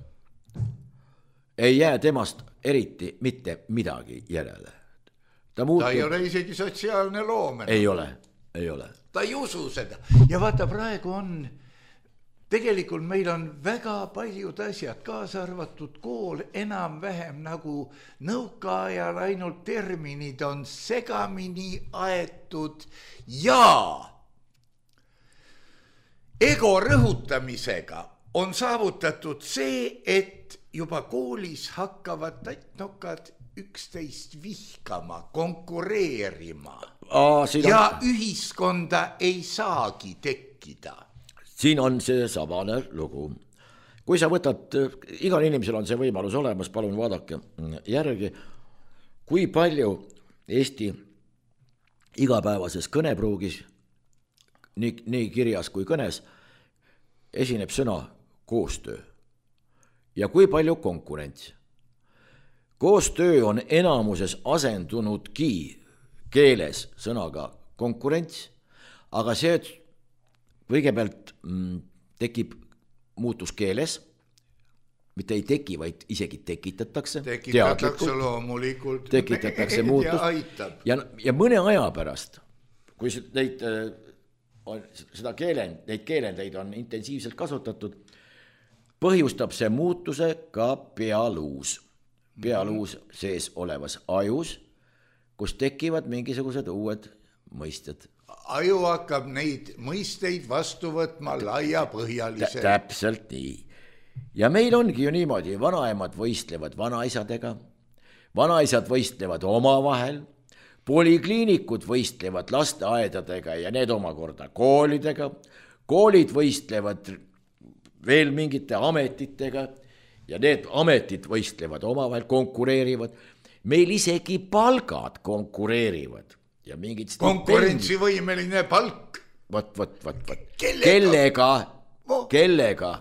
Speaker 4: ei jää temast eriti mitte midagi järele. Ta, muutub...
Speaker 3: ta ei ole isegi sotsiaalne loomene.
Speaker 4: Ei ole, ei ole.
Speaker 3: Ta ei usu seda. Ja vaata, praegu on, tegelikult meil on väga paljud asjad, kaasa arvatud kool, enam-vähem nagu nõukaajal, ainult terminid on segamini aetud ja ego rõhutamisega on saavutatud see, et juba koolis hakkavad tattnokad üksteist vihkama, konkureerima. Aa, ja on... ühiskonda ei saagi tekkida.
Speaker 4: Siin on see sabane lugu. Kui sa võtad, igal inimesel on see võimalus olemas, palun vaadake järgi, kui palju Eesti igapäevases kõnepruugis, nii, nii kirjas kui kõnes, esineb sõna koostöö. Ja kui palju konkurents. Koostöö on enamuses asendunudki keeles sõnaga konkurents, aga see kõigepealt mm, tekib muutus keeles, mitte ei teki, vaid isegi tekitatakse.
Speaker 3: Tekitatakse loomulikult.
Speaker 4: Tekitatakse muutus.
Speaker 3: Ja,
Speaker 4: ja, ja mõne aja pärast, kui neid, on, seda keelend, neid keelendeid on intensiivselt kasutatud, põhjustab see muutuse ka pealuus. Pealuus sees olevas ajus, kus tekivad mingisugused uued mõisted.
Speaker 3: Aju hakkab neid mõisteid vastu võtma laiapõhjaliselt.
Speaker 4: Täpselt nii. Ja meil ongi ju niimoodi, vanaemad võistlevad vanaisadega, vanaisad võistlevad omavahel, polikliinikud võistlevad lasteaedadega ja need omakorda koolidega, koolid võistlevad veel mingite ametitega ja need ametid võistlevad omavahel, konkureerivad. Meil isegi palgad konkureerivad. Ja mingid
Speaker 3: konkurentsivõimeline palk.
Speaker 4: Võt, võt, võt, võt. Kellega, kellega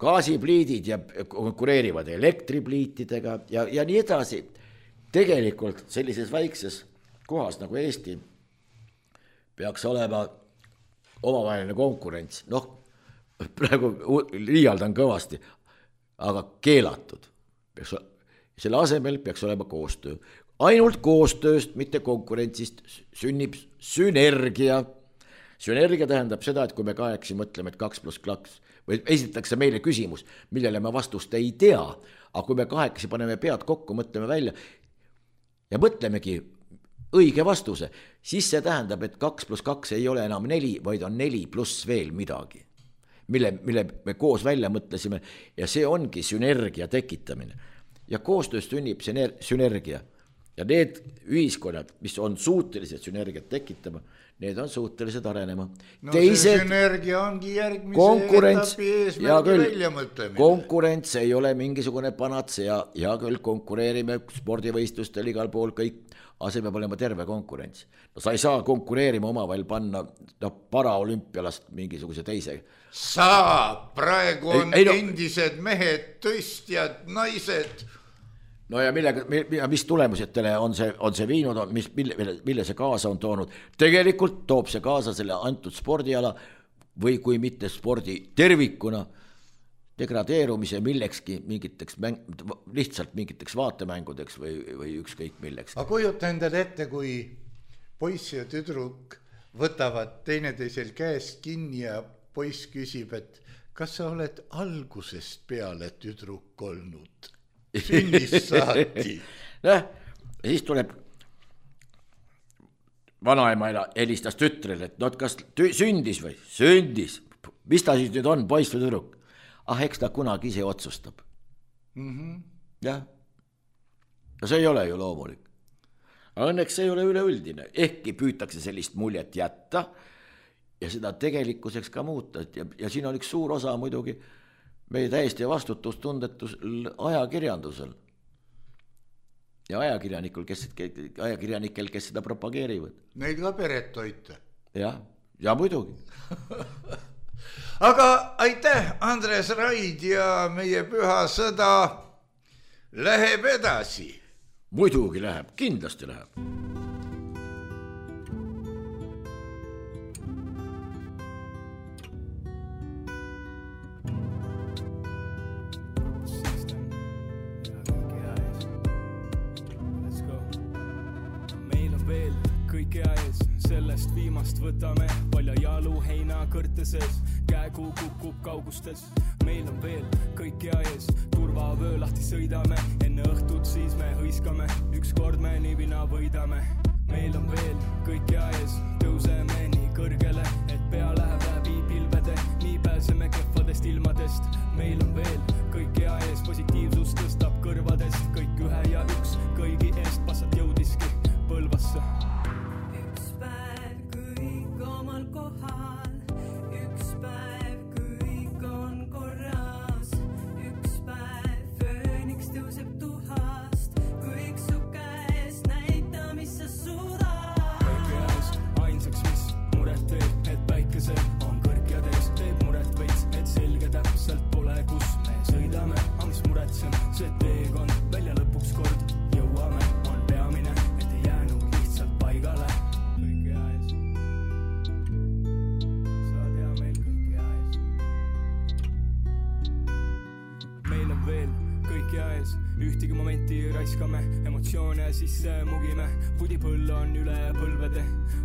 Speaker 4: gaasipliidid ja konkureerivad elektripliitidega ja, ja nii edasi. Tegelikult sellises väikses kohas nagu Eesti peaks olema omavaheline konkurents. Noh, praegu liialdan kõvasti, aga keelatud. Selle asemel peaks olema koostöö. Ainult koostööst, mitte konkurentsist sünnib sünergia. Sünergia tähendab seda, et kui me kahekesi mõtleme, et kaks pluss kaks, või esitatakse meile küsimus, millele me vastust ei tea, aga kui me kahekesi paneme pead kokku, mõtleme välja ja mõtlemegi õige vastuse, siis see tähendab, et kaks pluss kaks ei ole enam neli, vaid on neli pluss veel midagi. Mille, mille me koos välja mõtlesime ja see ongi sünergia tekitamine. Ja koostöös sünnib sünergia ja need ühiskonnad, mis on suutelised sünergiat tekitama, need on suutelised arenema.
Speaker 3: No Teised, see sünergia ongi järgmise etapi eesmärgi välja mõtlemine.
Speaker 4: Konkurents ei ole mingisugune panatsea ja küll konkureerime spordivõistlustel igal pool kõik, aga see peab olema terve konkurents. No sa ei saa konkureerima omavahel panna no, paraolümpialast mingisuguse teise.
Speaker 3: Saab, praegu on ei, ei, no, endised mehed, tõstjad, naised.
Speaker 4: No ja millega, mis tulemusetele on see, on see viinud, mis, mille, mille see kaasa on toonud? Tegelikult toob see kaasa selle antud spordiala või kui mitte spordi tervikuna degradeerumise millekski, mingiteks mäng, lihtsalt mingiteks vaatemängudeks või, või ükskõik milleks.
Speaker 3: Ma kujuta endale ette, kui poiss ja tüdruk võtavad teineteisel käest kinni ja poiss küsib, et kas sa oled algusest peale tüdruk olnud? Sünnist saati.
Speaker 4: Näh, siis tuleb vanaema helistas tütrele, et no kas tü- sündis või? Sündis. Mis ta siis nüüd on, poiss või tüdruk? Ah, eks ta kunagi ise otsustab.
Speaker 3: Mm-hmm.
Speaker 4: Jah. ja see ei ole ju loomulik. Õnneks see ei ole üleüldine, ehkki püütakse sellist muljet jätta ja seda tegelikkuseks ka muuta. Ja, ja siin on üks suur osa muidugi meie täiesti vastutustundetusel ajakirjandusel ja ajakirjanikul, kes, ajakirjanikel, kes seda propageerivad.
Speaker 3: Neid ka peret toita.
Speaker 4: Jah, ja muidugi.
Speaker 3: Aga aitäh, Andres Raid, ja meie püha sõda läheb edasi.
Speaker 4: Muidugi läheb, kindlasti läheb.
Speaker 5: Sellest viimast võtame palja jalu heina kõrteses, käegu kukub kaugustes. Meil on veel kõik hea ees, turvavöö lahti sõidame, enne õhtut siis me hõiskame, ükskord me nivina võidame. Meil on veel kõik hea ees, tõuseme nii kõrgele, et pea läheb läbi pilvede, nii pääseme kehvadest ilmadest. Meil on veel kõik hea ees, positiivsus tõstab kõrvadest, kõik ühe ja üks kõigi eest passat jõudiski Põlvasse.
Speaker 6: Kohal. Üks päev kõik on korras, üks päev fööniks tõuseb tuhast, kõik su käes näita, mis sa suudad.
Speaker 5: Kõik käes ainsaks, mis muret teeb, et päikesel on kõrgjades, teeb muret veits, et selge täpselt pole, kus me sõidame, aga mis muretsen, see teekond välja lõpuks kord jõuame, on peamine, et ei jäänud lihtsalt paigale. Veel kõik hea ees, ühtegi momenti raiskame, emotsioone sisse mugime, pudipõll on üle põlvede.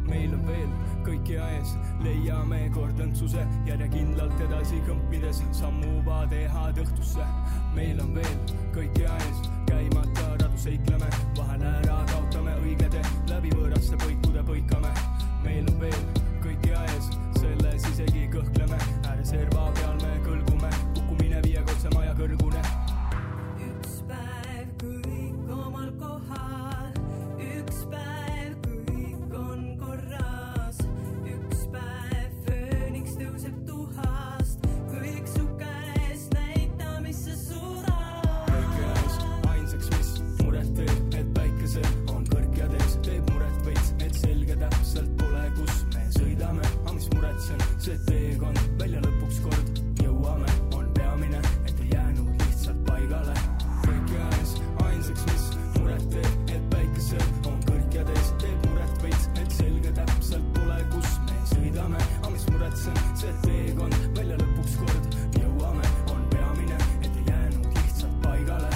Speaker 5: Meil on veel kõik hea ees, leiame kordõntsuse, järjekindlalt edasi kõmpides, sammuva tehad õhtusse. Meil on veel kõik hea ees, käimata radu seikleme, vahel ära kaotame õigede, läbi võõrasse põikude põikame. Meil on veel kõik hea ees, selles isegi kõhkleme, ääreserva peal me kõlgume, kukkumine viiekordse maja kõrgune.
Speaker 6: Üks päev kõik omal kohal, üks päev kõik on korras, üks päev fööniks tõuseb tuhast, kõik su käes näita, mis sa suudad.
Speaker 5: Kõik käes ainsaks, mis muret teeb, et päikesel on kõrgjades, teeb muret veits, et selge täpselt pole, kus me sõidame, aga mis muretsen, see teekond välja lõpuks kord jõuame, on peamine, et ei jäänud lihtsalt paigale. Kõik käes ainsaks, mis muret teeb, et päikesel on kõrgjades, teeb muret veits, et selge täpselt pole, kus me sõidame, aga mis muretsen, see teekond välja lõpuks kord jõuame, on peamine, et ei jäänud lihtsalt paigale.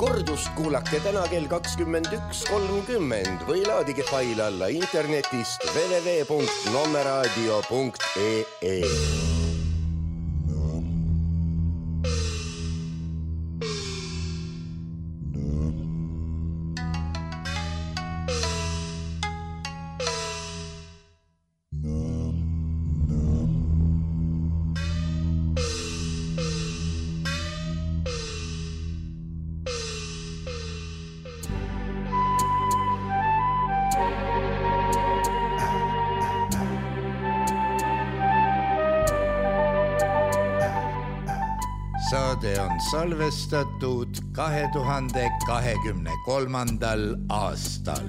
Speaker 7: Kordust kuulake täna kell kakskümmend üks kolmkümmend või laadige fail alla internetist w w w punkt nomeradio punkt e e.
Speaker 3: Saade on salvestatud kahe tuhande kahekümne kolmandal aastal.